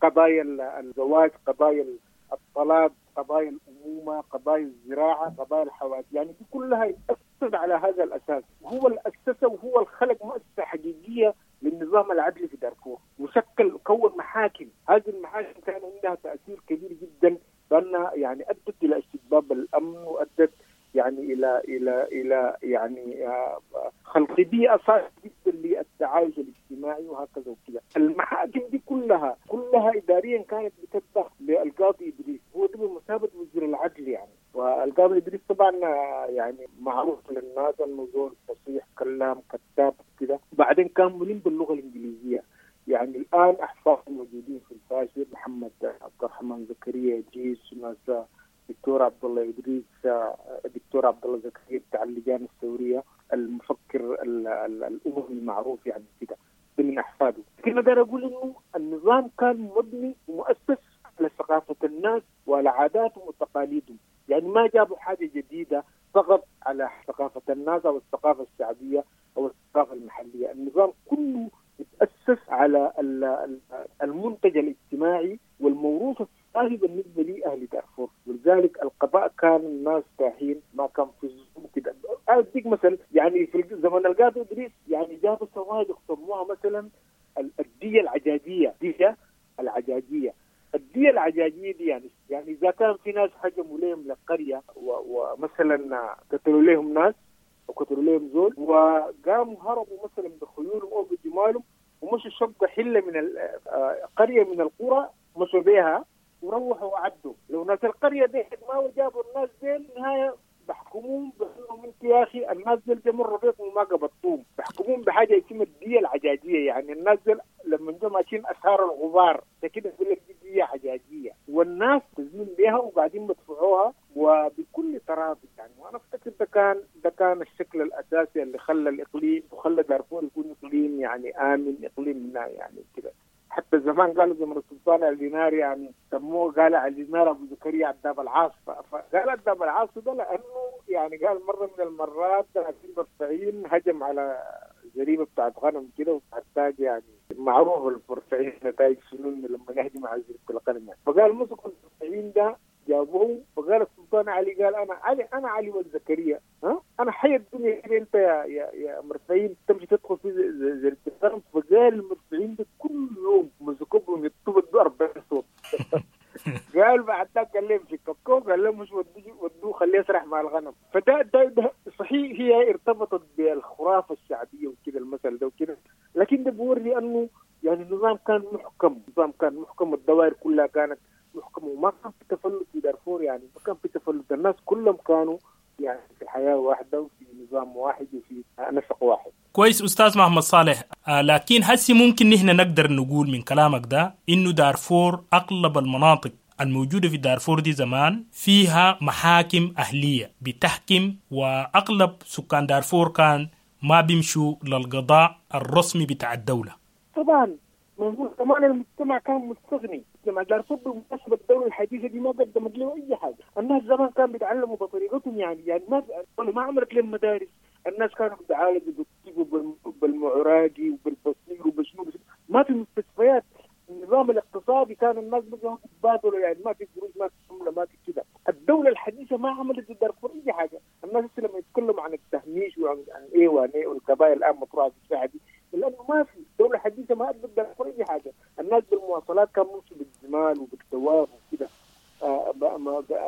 قضايا الزواج، قضايا الطلاق، قضايا الامومة، قضايا الزراعة، قضايا الحوادث، يعني دي كلها يتأسس على هذا الاساس. وهو اللي اسسه وهو اللي خلق مؤسسة حقيقية للنظام العدلي في دارفور، وشكل كون محاكم. هذه المحاكم كان عندها تاثير كبير جدا، لانها يعني ادت الى استتباب الامن، وادت يعني الى الى الى يعني خلق بيئة صالحه جدا للتعايش الاجتماعي وهكذا وكذا. المحاكم دي كلها اداريا كانت بتتبع للقاضي ادريس، هو ده بمثابة وزير العدل يعني. والقاضي ادريس طبعا يعني معروف للناس انه زول فصيح، كلام، كتاب كده، بعدين كان ملم باللغة الانجليزية. يعني الان احفاده موجودين في الفاشر، محمد عبد الرحمن زكريا ادريس، وناس دكتور عبد الله ادريس، دكتور عبد الله زكريا بتاع اللجان الثورية، المفكر الاممي المعروف يعني كده، ده من احفاده. لكن اقدر اقول انه النظام كان مبني ومؤسس على ثقافة الناس وعلى عاداتهم وتقاليدهم، يعني ما جابوا حاجة جديدة فقط على ثقافة الناس او الثقافة الشعبية او الثقافة المحلية. النظام كله تأسس على المنتج الاجتماعي والموروث الثقافي بالنسبة لأهل دارفور، ولذلك القضاء كان الناس تاهين، ما كان في الظلم كده. أديك مثل يعني في زمن القاضي إدريس يعني جابوا سوابق سموها مثلا الدية العجاجية، الدية العجاجية. الدية العجاجية دي يعني إذا كان في ناس هجموا لهم لقرية ومثلا قتلوا لهم ناس وقتلوا لهم زول وقاموا هربوا مثلا بخيولهم أو بجمالهم ومشوا شقوا حلة من قرية من القرى مشوا بيها وروحوا وعدوا. لو ناس القرية دي ما جابوا الناس دي النهاية بحكموهم بأنهم انت يا اخي الناس دي مروا بيكم وما قبضتوهم، بحكموهم بحاجة اسمها الدية العجاجيه. يعني الناس دي لما جو ماشيين اثار الغبار ده كده يقول لك دي ديه عجاجيه، والناس تزمين بها وبعدين بدفعوها وبكل تراضي يعني. وانا افتكر ده كان الشكل الاساسي اللي خلى الاقليم وخلى دارفور يكون اقليم يعني امن، اقليم يعني كده. حتى زمان قالوا زمن السلطان الدينار يعني سموه، قال على الدينار ابو زكريا عداب العاص. فقال عداب العاص ده لانه يعني قال مرة من المرات 30 هجم على زريبه بتاعت غنم كده وبتاعت يعني معروف البرفعين نتائج شنو لما نهجم على زريبه الغنم يعني. فقال مسكوا البرفعين ده جابوه، فقال السلطان علي قال انا علي والزكريا، ها انا حي الدنيا كده انت يا يا يا مرفعين تمشي تدخل في زريبه الغنم. فقال المرفعين ده كل يوم مسكوهم يطبوا 40 صوت. قال بعد ذاك قال لهم في كوكو، قال لهم مش ودوه خليه يسرح مع الغنم. فده ده, ده صحيح هي ارتبطت بالخرافه الشعبية وكده المثل ده وكده، لكن ده بوري انه يعني النظام كان محكم، النظام كان محكم، الدوائر كلها كانت محكمة، وما كان في تفلت في دارفور يعني، ما كان في تفلت، الناس كلهم كانوا يعني في حياة واحدة وفي نظام واحد وفي نسق واحد. كويس أستاذ محمد صالح، لكن هسي ممكن نحن نقدر نقول من كلامك ده إنه دارفور أغلب المناطق الموجودة في دارفور دي زمان فيها محاكم أهلية بتحكم، وأغلب سكان دارفور كان ما بيمشوا للقضاء الرسمي بتاع الدولة. طبعا كمان المجتمع كان مستغني. مجتمع دارفور بالمناسبة الدولة الحديثة دي ما قدمت له أي حاجة. الناس زمان كانوا بيتعلموا بطريقتهم يعني ما عملت لهم مدارس. الناس كانوا بيتعالجوا بالطب وبالمعراجي وبالبصير وبشنو، ما في مستشفيات. النظام الاقتصادي كان الناس بيجوا يتبادلوا يعني، ما في قروش، ما في عمله، ما في كده. الدولة الحديثة ما عملت لدارفور اي حاجة. الناس لما يتكلموا عن التهميش وعن ايه وعن ايه والقضايا الان مطروحة في الساحة دي، لانه ما في الدولة الحديثة ما ادت دارفور اي حاجة. الناس بالمواصلات كان ممشي بالجمال وبالدواب وكده.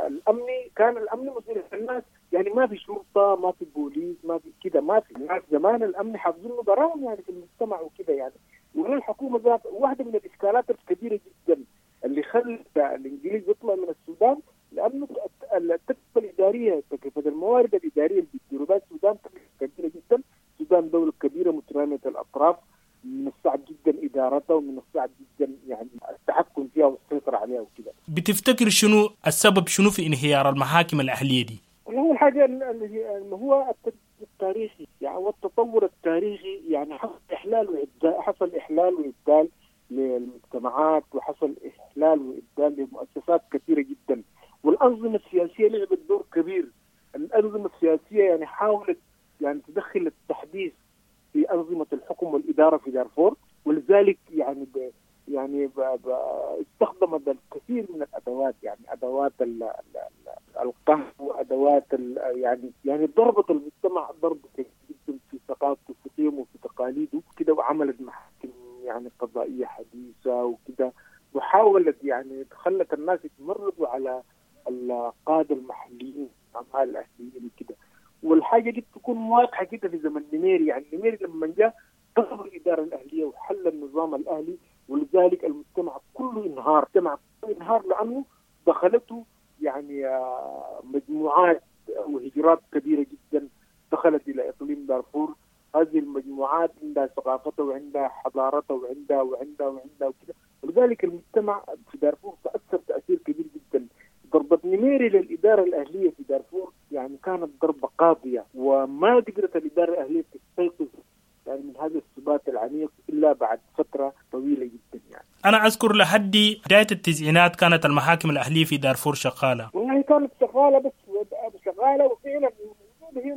الامني كان الامن مسؤول الناس يعني، ما في شرطه، ما في بوليس، ما في كده، ما في. الناس زمان الامن حافظينه براهم يعني في المجتمع وكده يعني. ولا الحكومة ذات واحدة من الاشكالات الكبيرة جدا اللي خلت الانجليز يطلع من السودان، لانه التكلفة الادارية، تكلفة الموارد الادارية اللي بيديروا بها السودان كبيرة جدا. السودان دولة كبيرة متراميه الاطراف، من الصعب جدا ادارتها ومن الصعب جدا يعني التحكم فيها والسيطرة عليها وكده. بتفتكر شنو السبب، شنو في انهيار المحاكم الاهلية دي؟ والله الحاجة اللي هو التاريخي يعني والتطور التاريخي يعني، حصل احلال وابدال، حصل احلال وابدال للمجتمعات، وحصل احلال وابدال لمؤسسات كثيرة جدا، والانظمة السياسية لعبت دور كبير. الانظمة السياسية يعني حاولت يعني تدخل التحديث في انظمة الحكم والادارة في دارفور، ولذلك يعني استخدمت الكثير من الادوات، يعني ادوات القهر وادوات يعني ضربت المجتمع ضرب كبير جدا في ثقافته وفي قيمة وفي تقاليده كده، وعملت محاكم يعني قضائية حديثه وكده، وحاولت يعني خلت الناس يتمردوا على القادة المحليين الاعمال الاهليين وكده. والحاجة دي بتكون واضحة كده في زمن نميري، يعني نميري لما جاء ضرب الادارة الاهلية وحل النظام الاهلي، ولذلك المجتمع كله انهار، المجتمع كله انهار لانه دخلته يعني مجموعات وهجرات كبيرة جدا دخلت الى اقليم دارفور. هذه المجموعات عندها ثقافتها وعندها حضارتها وعندها وعندها وعندها وكده، ولذلك المجتمع في دارفور تاثر تاثير كبير جدا. ضربة نميري للإدارة الأهلية في دارفور يعني كانت ضربة قاضية، وما قدرت الإدارة الأهلية تستيقظ يعني من هذا الثبات العميق إلا بعد فترة طويلة جدا يعني. أنا أذكر لحد بداية التسعينات كانت المحاكم الأهلية في دارفور شغالة. والله كانت شغالة، بس شغالة وفعلا هي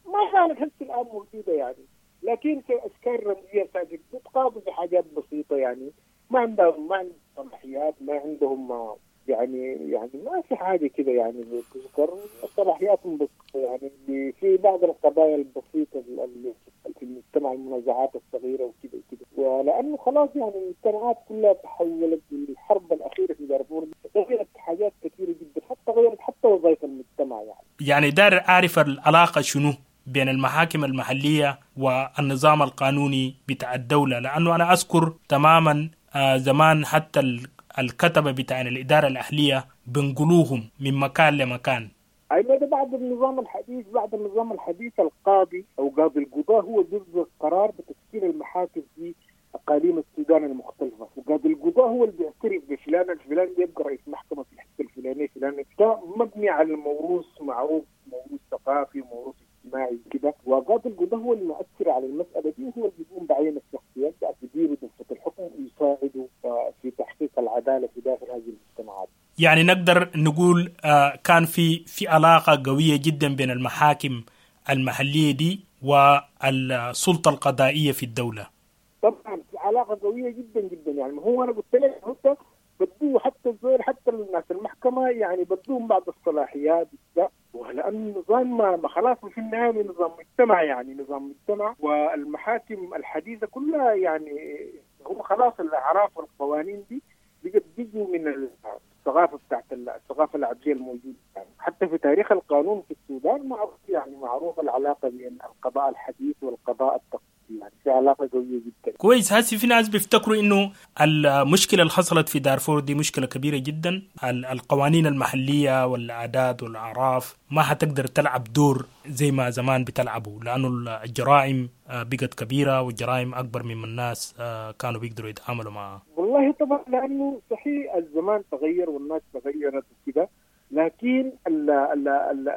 ما كانت هسه الآن موجودة يعني، لكن في أشكال رمزية ساكت بتقاضي بحاجات بسيطة يعني، ما عندهم صلاحيات، ما عندهم يعني ما في حاجة كده يعني بتذكر صلاحياتهم، بس يعني في بعض القضايا البسيطة اللي في المجتمع، المنازعات الصغيرة وكده وكده. ولانه خلاص يعني المجتمعات كلها تحولت بالحرب الاخيرة في دارفور دي يعني دار أعرف العلاقة شنو بين المحاكم المحلية والنظام القانوني بتاع الدولة، لأنه أنا أذكر تماما زمان حتى الكتبة بتاع الإدارة الأهلية بنقلوهم من مكان لمكان. أيوة، ده بعد النظام الحديث. بعد النظام الحديث القاضي أو قاضي القضاء هو بيصدر قرار بتشكيل المحاكم في أقاليم السودان المختلفة، وقاضي القضاء هو اللي بيعترف بفلان الفلاني يبقى رئيس محكمة في الحتة الفلانية فلانية. ده مبني على الموروث معروف، موروث ثقافي وموروث اجتماعي كده. وقاضي القضاء هو اللي مؤثر على المسألة دي، وهو اللي بيقوم بعين الشخصيات بيديروا دفة الحكم ويساعدوا في تحقيق العدالة في داخل هذه المجتمعات. يعني نقدر نقول كان في علاقة قوية جدا بين المحاكم المحلية دي والسلطة القضائية في الدولة. طبعا في علاقة قوية جدا جدا. يعني هو أنا قلت لك حتى بدوه حتى الزول حتى الناس المحكمة يعني بدوهم بعض الصلاحيات، ولأن النظام ما خلاص في النهاية نظام مجتمع، يعني نظام مجتمع. والمحاكم الحديثة كلها يعني هو خلاص الأعراف والقوانين دي بقت بيجوا من الثقافة بتاعت الثقافة العدلية الموجودة. يعني حتى في تاريخ القانون في السودان معروف، يعني معروف العلاقة بين القضاء الحديث والقضاء التقليدي، يعني في علاقة قوية جدا. كويس. هسي في ناس بيفتكروا إنه المشكلة اللي حصلت في دارفور دي مشكلة كبيرة جدا، القوانين المحلية والعادات والأعراف ما هتقدر تلعب دور زي ما زمان بتلعبوا، لأنه الجرائم بقت كبيرة والجرائم أكبر مما الناس كانوا بيقدروا يتعاملوا معها. والله طبعا لأنه صحيح الزمان تغير والناس تغيرت وكده، لكن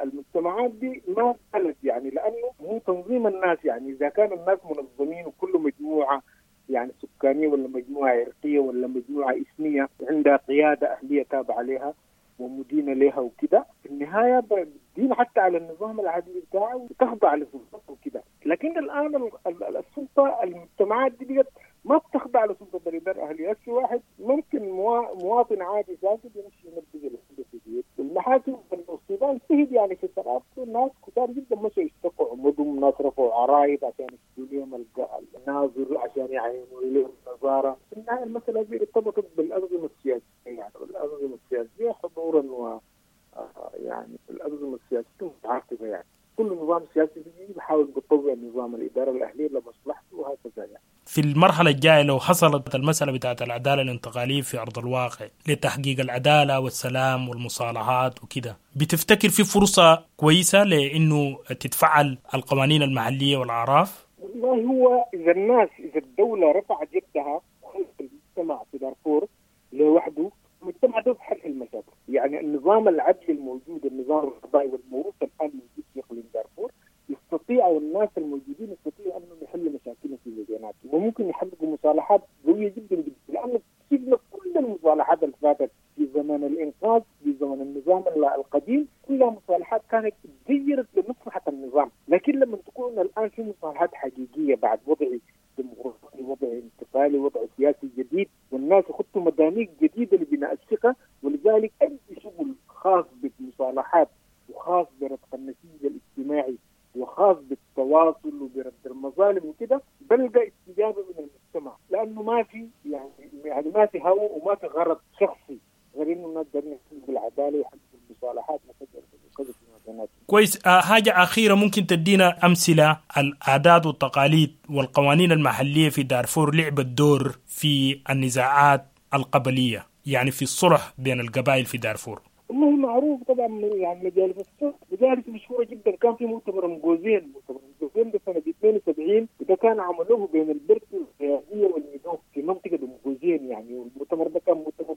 المجتمعات دي ما زالت، يعني لأنه هو تنظيم الناس. يعني إذا كان الناس منظمين وكل مجموعة يعني سكانية ولا مجموعة عرقية ولا مجموعة إثنية عندها قيادة أهلية تابعة لها ومدينة لها وكده، في النهاية بتدين حتى على النظام العدلي بتاعه وتخضع لسلطته وكده. لكن الآن السلطة المجتمعات دي بقت ما بتخضع لسلطة الإدارة الأهلية. في واحد ممكن مواطن عادي ساكت يمشي ينبذ الحدث في المحاكم. السودان شهد يعني في ثقافته ناس كتار جدا مشوا يشتكوا عمدهم، ناس رفعوا عرايض عشان يشتكوا لهم الناظر عشان يعينوا لهم النظارة. في النهاية المسألة دي ارتبطت بالأنظمة السياسية، يعني الأنظمة السياسية حضورا و يعني الأنظمة السياسية متعاقبة، يعني كل نظام سياسي بيجي بيحاول بيطور نظام الإدارة الأهلية لمصلحته وهكذا. يعني في المرحلة الجاية لو حصلت المسألة بتاعت العدالة الانتقالية في أرض الواقع لتحقيق العدالة والسلام والمصالحات وكده، بتفتكر في فرصة كويسة لأنه تتفعل القوانين المحلية والأعراف؟ والله هو إذا الناس إذا الدولة رفعت يدها وخلت المجتمع في دارفور لوحده، المجتمع ده بحل المشاكل. يعني النظام العدلي الموجود، النظام القضائي والموروث الآن موجود في إقليم دارفور، يستطيع الناس الموجودين يستطيعوا أنهم يحلوا مشاكلهم في مديناتهم، وممكن يحققوا مصالحات قوية جدا جدا. لأنه شفنا كل المصالحات اللي فاتت في زمن الإنقاذ، في زمن النظام القديم، كلها مصالحات كانت تغيرت لمصلحة النظام. لكن لما تكون الآن في مصالحات حقيقية بعد وضع ديمقراطي، وضع انتقالي، وضع سياسي جديد، والناس يخطوا مدانيك جديدة لبناء الثقة، ولذلك أي شغل خاص بالمصالحات وخاص برتق النسيج الاجتماعي وخاص بالتواصل وبرد المظالم وكده بلقى استجابة من المجتمع، لأنه ما في يعني ما في هوى وما في غرض شخصي غير إنه الناس دارين يحققوا العدالة ويحققوا المصالحات وكذا وكذا في مكاناتهم. كويس. حاجة أخيرة، ممكن تدينا أمثلة العادات والتقاليد والقوانين المحلية في دارفور لعبت دور في النزاعات القبلية، يعني في الصلح بين القبائل في دارفور؟ والله معروف طبعا، يعني مجالس الصلح مجالس مشهورة جدا. كان في مؤتمر مجوزين، مؤتمر مجوزين ده سنة 72، وده كان عملوه بين البرتي والقياديه والميدوف في منطقة مجوزين يعني. والمؤتمر ده كان مؤتمر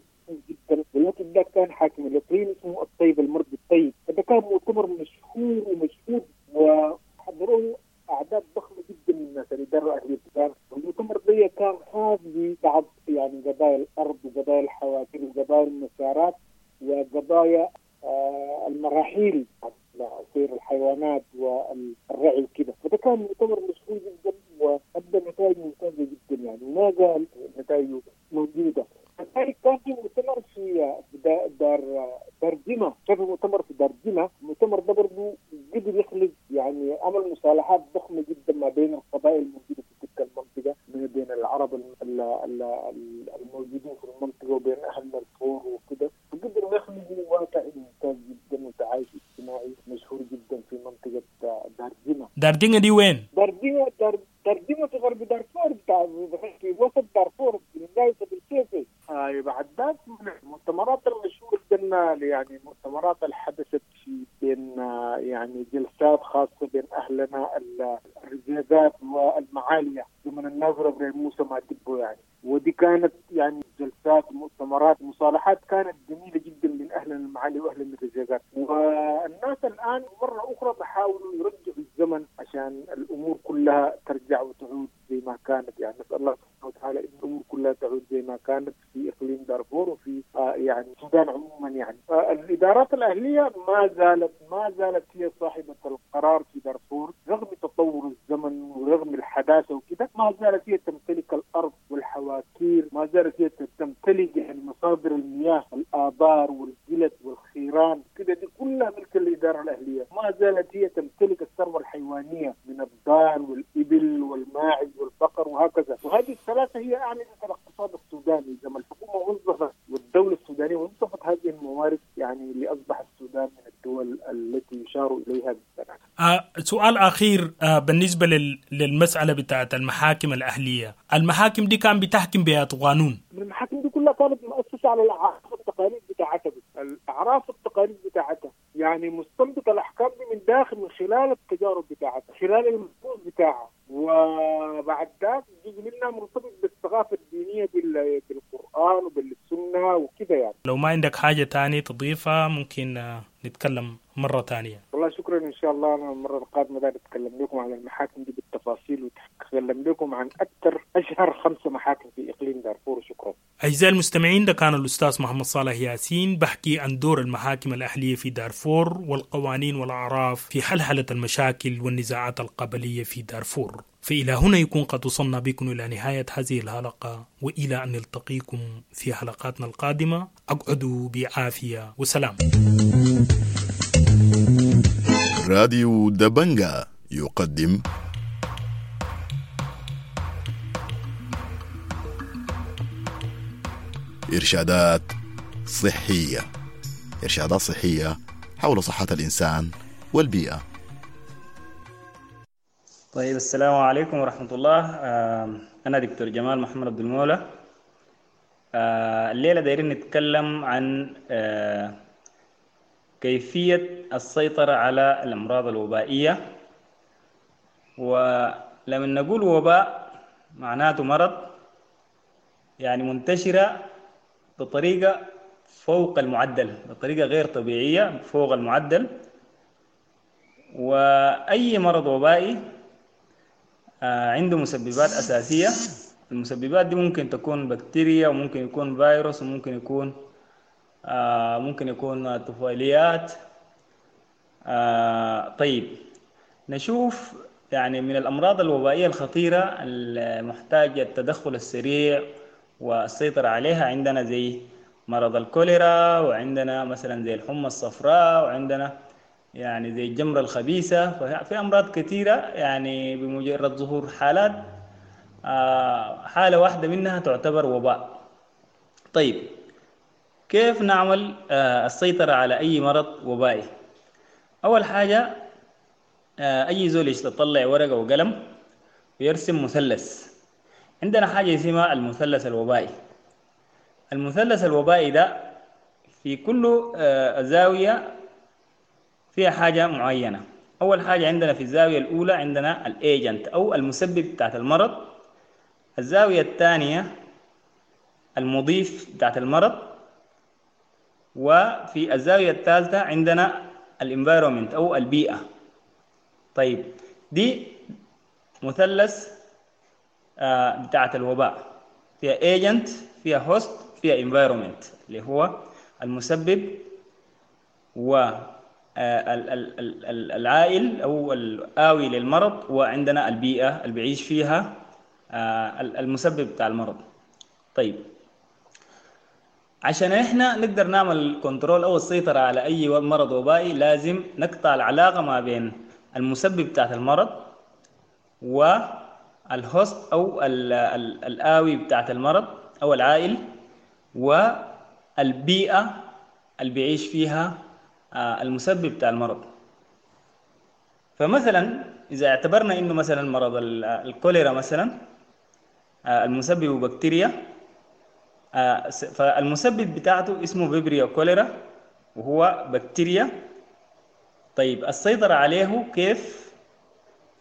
جدا، والوقت ده كان حاكم الاقليم اسمه الطيب المرضي الطيب، فده كان مؤتمر مشهور ومشهور وحضروه اعداد ضخمة جدا من الناس الادارة الاهلية. المؤتمر ده كان خاص ببعض يعني قضايا الارض وقضايا الحوافر وقضايا المسارات وقضايا المراحيل، سير الحيوانات والرعي وكده. فده كان مؤتمر مشهور جدا وادى نتائج ممتازة جدا يعني، وما زال نتائجه موجودة. كذلك كان في مؤتمر في دار جمة، كان في مؤتمر في دار جمة. المؤتمر ده برضه قدر يخلق يعني عمل مصالحات ضخمة جدا ما بين القبائل الموجودة في تلك المنطقة، بين العرب الموجودين في المنطقة وبين اهل الفور وكده، وقدروا يخلقوا واقع ممتاز جدا وتعايش اجتماعي مشهور داردينغا دي وين؟ داردينغا داردينغا في غرب دارفور، بتاع في وسط دارفور في ولاية بالكيفي. بعد ذاك المؤتمرات المشهورة جدا، يعني مؤتمرات اللي حدثت في بين يعني جلسات خاصة بين أهلنا الرزيزات والمعالية زمن الناظر إبراهيم موسى مادبو يعني، ودي كانت يعني جلسات مؤتمرات مصالحات كانت جميلة جدا من أهلنا المعالي وأهلنا الرزيزات. والناس الآن مرة أخرى بحاولوا يرجعوا الزمن عشان الأمور كلها ترجع وتعود زي ما كانت. يعني نسأل الله سبحانه وتعالى إن الأمور كلها تعود زي ما كانت في إقليم دارفور وفي يعني السودان عموما. يعني الإدارات الأهلية ما زالت هي صاحبة القرار في دارفور رغم تطور الزمن ورغم الحداثة وكده، ما زالت هي تمتلك الأرض والحواكير، ما زالت هي تمتلك يعني مصادر المياه، الآبار والجلد والخيران كده، دي كلها ملك الإدارة الأهلية. ما زالت هي تمتلك الثروة الحيوانية من الضان والإبل والماعز والبقر وهكذا، وهذه الثلاثة هي أعمدة الاقتصاد السوداني. زي ما الحكومة وظفت والدولة السودانية وظفت هذه الموارد يعني لأصبح السودان من الدول التي يشار إليها بالسنة. سؤال أخير بالنسبة للمسألة بتاعت المحاكم الأهلية، المحاكم دي كان بتحكم بأي قانون؟ المحاكم دي كلها كانت مؤسسة على الأعراف والتقاليد بتاعتها، الأعراف والتقاليد بتاعتها، يعني مستنبط الأحكام دي من داخل من خلال التجارب بتاعتها، خلال المنظور بتاعها، وبعد ذاك جزء منها مرتبط بالثقافة الدينية بالقرآن وبالسنة وكذا. يعني لو ما عندك حاجة تانية تضيفها ممكن نتكلم مرة تانية. والله شكرا، إن شاء الله أنا المرة القادمة ده نتكلم لكم عن المحاكم دي بالتفاصيل، وتكلم لكم عن أكثر أشهر 5 محاكم في إقليم دارفور. شكرا. أعزائي المستمعين، ده كان الأستاذ محمد صالح ياسين بحكي عن دور المحاكم الأهلية في دارفور والقوانين والأعراف في حلحلة المشاكل والنزاعات القبلية في دارفور. فإلى هنا يكون قد وصلنا بكم إلى نهاية هذه الحلقة، وإلى أن نلتقيكم في حلقاتنا القادمة، أقعدوا بعافية وسلام. راديو دبنجا يقدم إرشادات صحية، إرشادات صحية حول صحة الإنسان والبيئة. طيب، السلام عليكم ورحمة الله. أنا دكتور جمال محمد عبد المولى. الليلة دايرين نتكلم عن كيفية السيطرة على الأمراض الوبائية. ولما نقول وباء معناته مرض يعني منتشرة بطريقة فوق المعدل، بطريقة غير طبيعية فوق المعدل. وأي مرض وبائي عنده مسببات أساسية. المسببات دي ممكن تكون بكتيريا، وممكن يكون فيروس، وممكن يكون ممكن يكون طفيليات. طيب، نشوف يعني من الأمراض الوبائية الخطيرة المحتاجة التدخل السريع والسيطرة عليها عندنا زي مرض الكوليرا، وعندنا مثلا زي الحمى الصفراء، وعندنا يعني زي الجمرة الخبيثة. ففي أمراض كثيرة يعني بمجرد ظهور حالات حالة واحدة منها تعتبر وباء. طيب، كيف نعمل السيطرة على أي مرض وبائي؟ أول حاجة أي زول يطلع ورقة وقلم ويرسم مثلث. عندنا حاجة اسمها المثلث الوبائي. المثلث الوبائي ده في كل زاوية فيها حاجة معينة. أول حاجة عندنا في الزاوية الأولى عندنا الأيجنت أو المسبب بتاعت المرض. الزاوية الثانية المضيف بتاعت المرض. وفي الزاوية الثالثة عندنا ال environment أو البيئة. طيب، دي مثلث بتاعت الوباء، فيها agent، فيها host، فيها environment اللي هو المسبب و العائل أو الآوي للمرض، وعندنا البيئة اللي بيعيش فيها المسبب بتاع المرض. طيب، عشان احنا نقدر نعمل control او السيطرة على اي مرض وبائي لازم نقطع العلاقة ما بين المسبب بتاعت المرض وال host او الآوي بتاعت المرض او العائل والبيئة اللي بيعيش فيها المسبب بتاع المرض. فمثلا إذا اعتبرنا إنه مثلا مرض الكوليرا مثلا المسبب بكتيريا، فالمسبب بتاعته اسمه Vibrio cholerae وهو بكتيريا. طيب السيطرة عليه كيف؟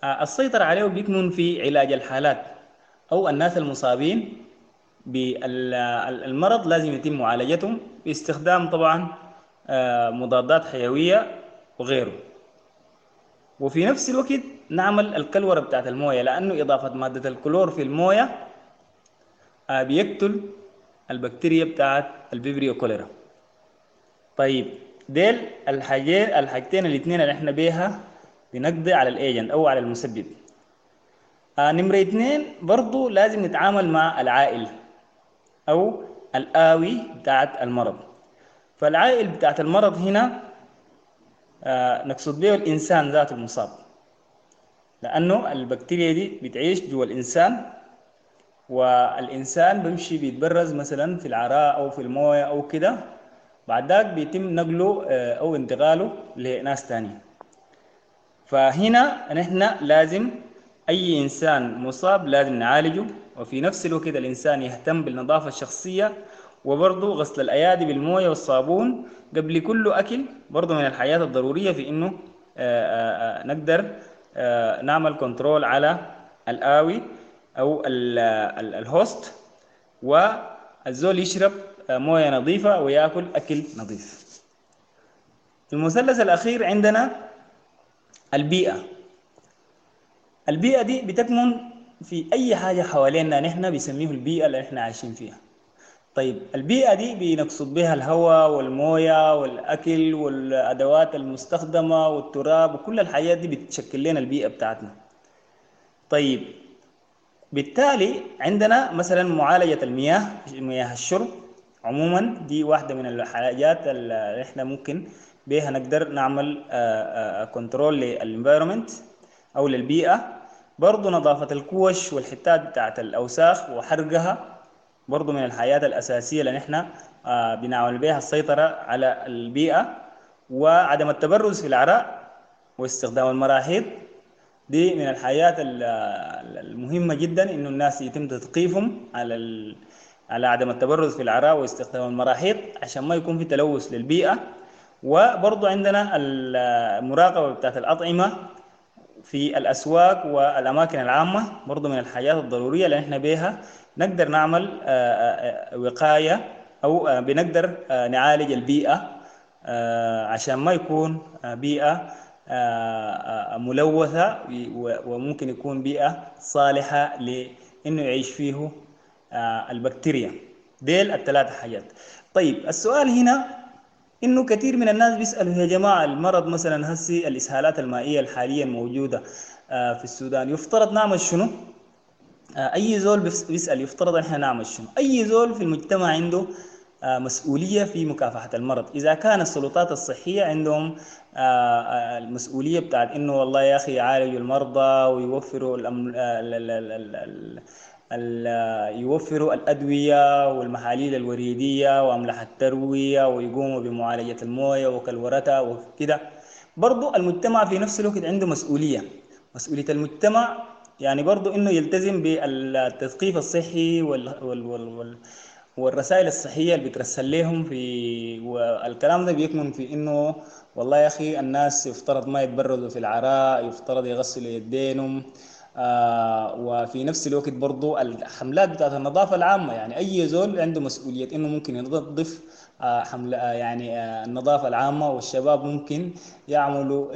السيطرة عليه بيكمن في علاج الحالات أو الناس المصابين بالمرض، لازم يتم معالجتهم باستخدام طبعا مضادات حيوية وغيره. وفي نفس الوقت نعمل الكلورة بتاعت الموية، لأنه إضافة مادة الكلور في الموية بيقتل البكتيريا بتاعت ال Vibrio cholerae. طيب ديل الحاجتين الاثنين اللي احنا بيها بنقضي على ال agent او على المسبب. نمرة 2 برضو لازم نتعامل مع العائل او الآوي بتاعت المرض. فالعائل بتاعت المرض هنا نقصد به الإنسان ذات المصاب، لأنه البكتيريا دي بتعيش جوا الإنسان، والإنسان بيمشي بيتبرز مثلا في العراء أو في الموية أو كده، بعد ذاك بيتم نقله أو انتقاله لناس تانية. فهنا نحن لازم أي إنسان مصاب لازم نعالجه، وفي نفس الوقت الإنسان يهتم بالنظافة الشخصية، وبرضه غسل الأيادي بالموية والصابون قبل كل أكل، برضه من الحاجات الضرورية في إنه نقدر نعمل control على الآوي أو ال host، والزول يشرب موية نظيفة ويأكل أكل نظيف. المثلث الأخير عندنا البيئة. البيئة دي بتكمن في أي حاجة حوالينا نحن بيسميه البيئة اللي احنا عايشين فيها. طيب البيئة دي بنقصد بها الهواء والموية والأكل والأدوات المستخدمة والتراب، وكل الحاجات دي بتشكل لنا البيئة بتاعتنا. طيب بالتالي عندنا مثلا معالجة المياه، مياه الشرب عموما دي واحدة من الحاجات اللي احنا ممكن بها نقدر نعمل control لل environment أو للبيئة. برضو نظافة الكوش والحتات بتاعت الأوساخ وحرقها برضو من الحاجات الأساسية اللي نحن بنعمل بها السيطرة على البيئة. وعدم التبرز في العراء واستخدام المراحيض دي من الحاجات المهمة جدا، إنه الناس يتم تثقيفهم على عدم التبرز في العراء واستخدام المراحيض عشان ما يكون في تلوث للبيئة. وبرضو عندنا المراقبة بتاعت الأطعمة في الأسواق والأماكن العامة، برضو من الحاجات الضرورية اللي احنا بيها نقدر نعمل وقاية أو بنقدر نعالج البيئة عشان ما يكون بيئة ملوثة، وممكن يكون بيئة صالحة لأنه يعيش فيه البكتيريا. ديل الثلاث حاجات. طيب السؤال هنا إنه كثير من الناس بيسألوا يا جماعة المرض مثلا هسي الإسهالات المائية الحالية الموجودة في السودان يفترض نعمل شنو؟ أي زول بيسأل يفترض إن إحنا نعمل شنو؟ أي زول في المجتمع عنده مسؤولية في مكافحة المرض. إذا كان السلطات الصحية عندهم المسؤولية بتاعت إنه والله يا أخي يعالجوا المرضى ويوفروا يوفروا الأدوية والمحاليل الوريدية وأملاح التروية ويقوموا بمعالجة الموية وكلورتها وكده، برضو المجتمع في نفس الوقت عنده مسؤولية. مسؤولية المجتمع يعني برضو إنه يلتزم بالتثقيف الصحي والرسائل الصحية اللي بترسل لهم في، والكلام ده بيكمن في إنه والله يا أخي الناس يفترض ما يتبرزوا في العراء، يفترض يغسلوا يدينهم، وفي نفس الوقت برضو الحملات بتاعت النظافة العامة، يعني أي زول عنده مسؤولية إنه ممكن ينظف حملة يعني النظافة العامة، والشباب ممكن يعملوا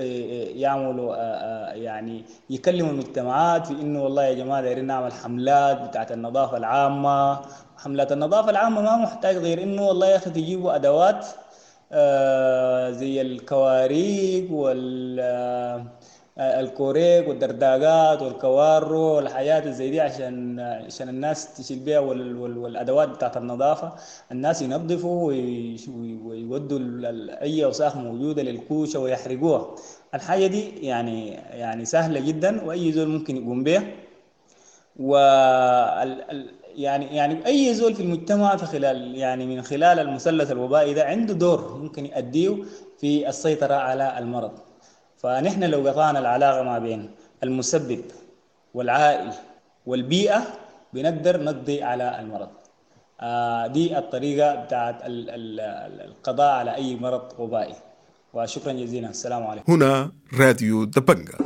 يعني يكلموا المجتمعات في إنه والله يا جماعة دايرين نعمل حملات بتاعت النظافة العامة. حملات النظافة العامة ما محتاج غير إنه والله يا أخي تجيبوا أدوات زي الكواريك والكوريك والدرداقات والكوارو والحاجات زي دي عشان الناس تشيل بيها، والادوات بتاعت النظافة الناس ينظفوا ويودوا اي اوساخ موجودة للكوشه ويحرقوها. الحاجة دي يعني سهلة جدا واي زول ممكن يقوم بها، و يعني اي زول في المجتمع في خلال يعني من خلال المثلث الوبائي ده عنده دور ممكن يؤديه في السيطرة على المرض. فنحن لو قطعنا العلاقة ما بين المسبب والعائل والبيئة بنقدر نقضي على المرض. دي الطريقة بتاعت القضاء على أي مرض وبائي. وشكرا جزيلا، السلام عليكم. هنا راديو دبنجا.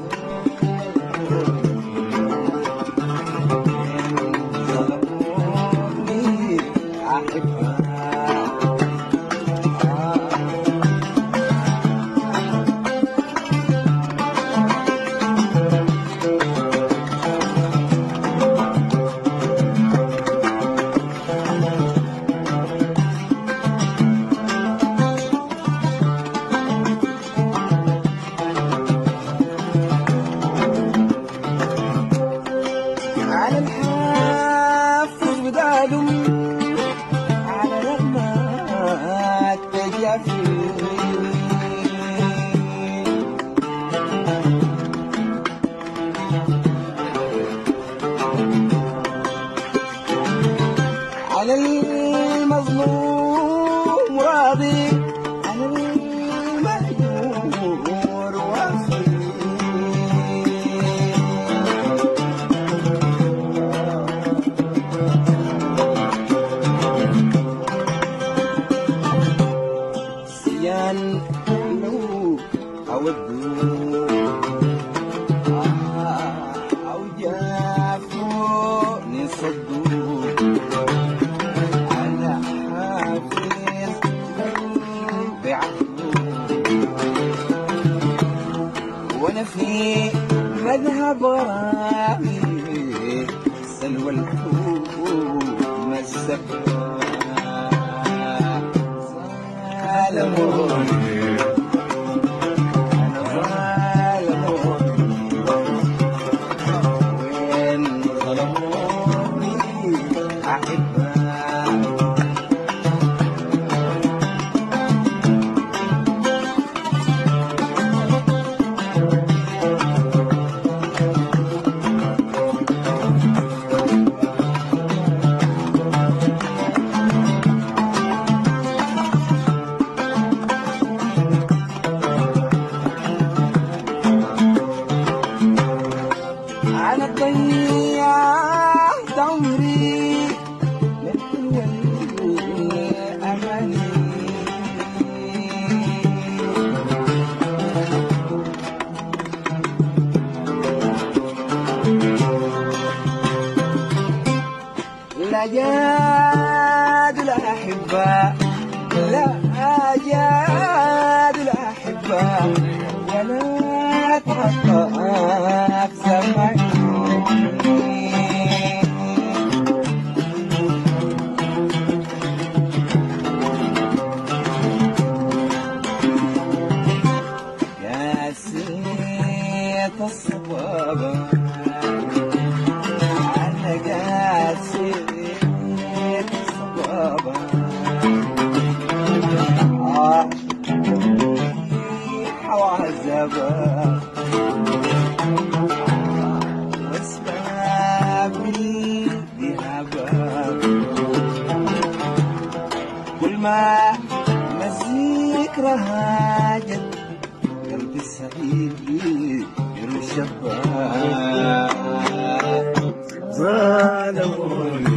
على الحافظ بدادم على رغمة التجافي على المظلوم راضي على المهجور وصي. سيان لو أودو أو جافوني صدو أنا حافظ بعهده وأنا في مذهب غرامي سلوى الحب مسكها ظالموني أنا ظالموني وين ظلموني أحبها. أنا ضيعت عمري من الأماني لا جاد الأحبة لا جاد الأحبة ولا تحقق سمعي. يا سيت الصبابة أنا قاسيت الصبابة وعذابة وأسباب الذهاب كل ما الذكرى هاجت قلبي الصغير يرشبها. ظلموني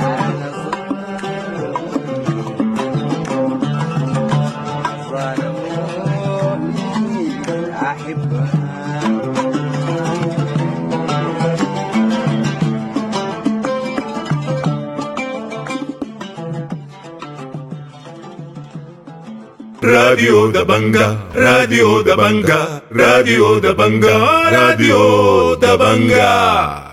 أنا ظلموني أحبها. راديو دبنجا، راديو دبنجا، راديو دبنجا، راديو دبنجا.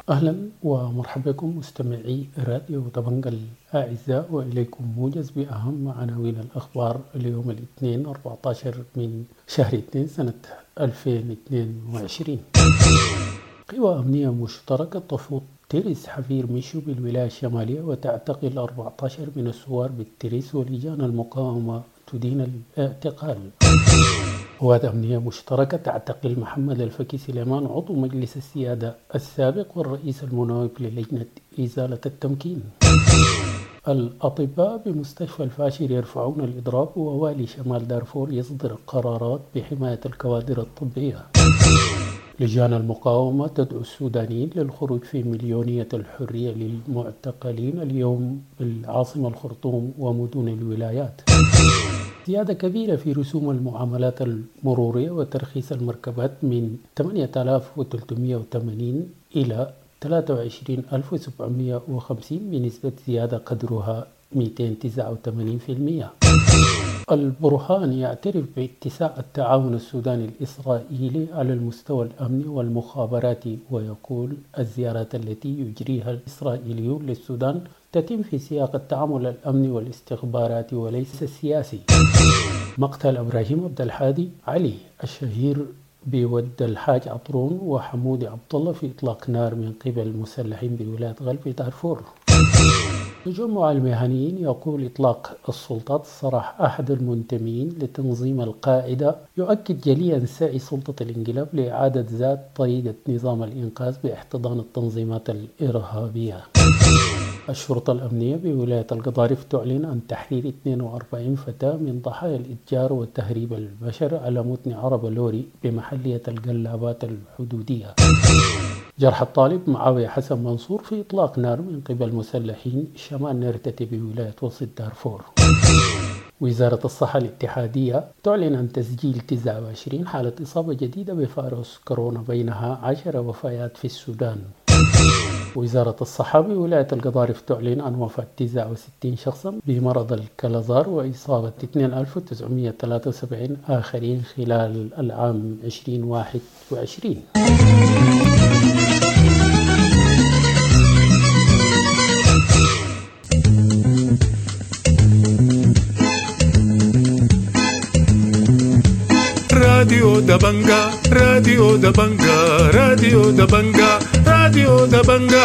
أهلا ومرحبا بكم مستمعي راديو دبنجا الأعزاء، وإليكم موجز بأهم عناوين الأخبار اليوم الاثنين 14 من شهر 2 سنة 2022. قوى أمنية مشتركة تفوض ترس حفير ميشو بالولاية الشمالية وتعتقل 14 من الثوار بالترس، ولجان المقاومة تدين الاعتقال. قوات أمنية مشتركة تعتقل محمد الفكي سليمان عضو مجلس السيادة السابق والرئيس المناوب للجنة إزالة التمكين. الأطباء بمستشفى الفاشر يرفعون الإضراب، ووالي شمال دارفور يصدر قرارات بحماية الكوادر الطبية. لجان المقاومة تدعو السودانيين للخروج في مليونية الحرية للمعتقلين اليوم بالعاصمة الخرطوم ومدن الولايات. زيادة كبيرة في رسوم المعاملات المرورية وترخيص المركبات من 8380 إلى 23750 بنسبة زيادة قدرها 289%. البرهان يعترف باتساع التعاون السوداني الإسرائيلي على المستوى الأمني والمخابراتي، ويقول الزيارات التي يجريها الإسرائيليون للسودان تتم في سياق التعامل الأمني والاستخباراتي وليس السياسي. مقتل إبراهيم عبد الحادي علي الشهير بود الحاج عطرون وحمودي عبد الله في إطلاق نار من قبل مسلحين بولاية غرب دارفور. تجمع المهنيين يقول إطلاق السلطات سراح أحد المنتمين لتنظيم القاعدة يؤكد جليا سعي سلطة الانقلاب لإعادة ذات طريقة نظام الإنقاذ باحتضان التنظيمات الإرهابية. الشرطة الأمنية بولاية القضارف تعلن عن تحرير 42 فتاة من ضحايا الإتجار وتهريب البشر على متن عربة لوري بمحلية القلابات الحدودية. جرح الطالب معاوية حسن منصور في إطلاق نار من قبل مسلحين شمال نرتتي بولاية وسط دارفور. وزارة الصحة الاتحادية تعلن عن تسجيل 29 حالة إصابة جديدة بفيروس كورونا، بينها 10 وفيات في السودان. وزارة الصحة بولاية القضارف تعلن عن وفاة 69 شخصا بمرض الكلازار وإصابة 2973 آخرين خلال العام 2021. راديو دبنجا، راديو دبنجا، راديو دبنجا، راديو دبنجا.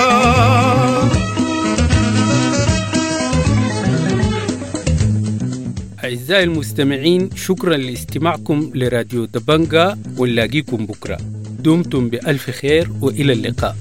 أعزائي المستمعين، شكرا لاستماعكم لراديو دبنجا، ونلاقيكم بكرة. دمتم بألف خير وإلى اللقاء.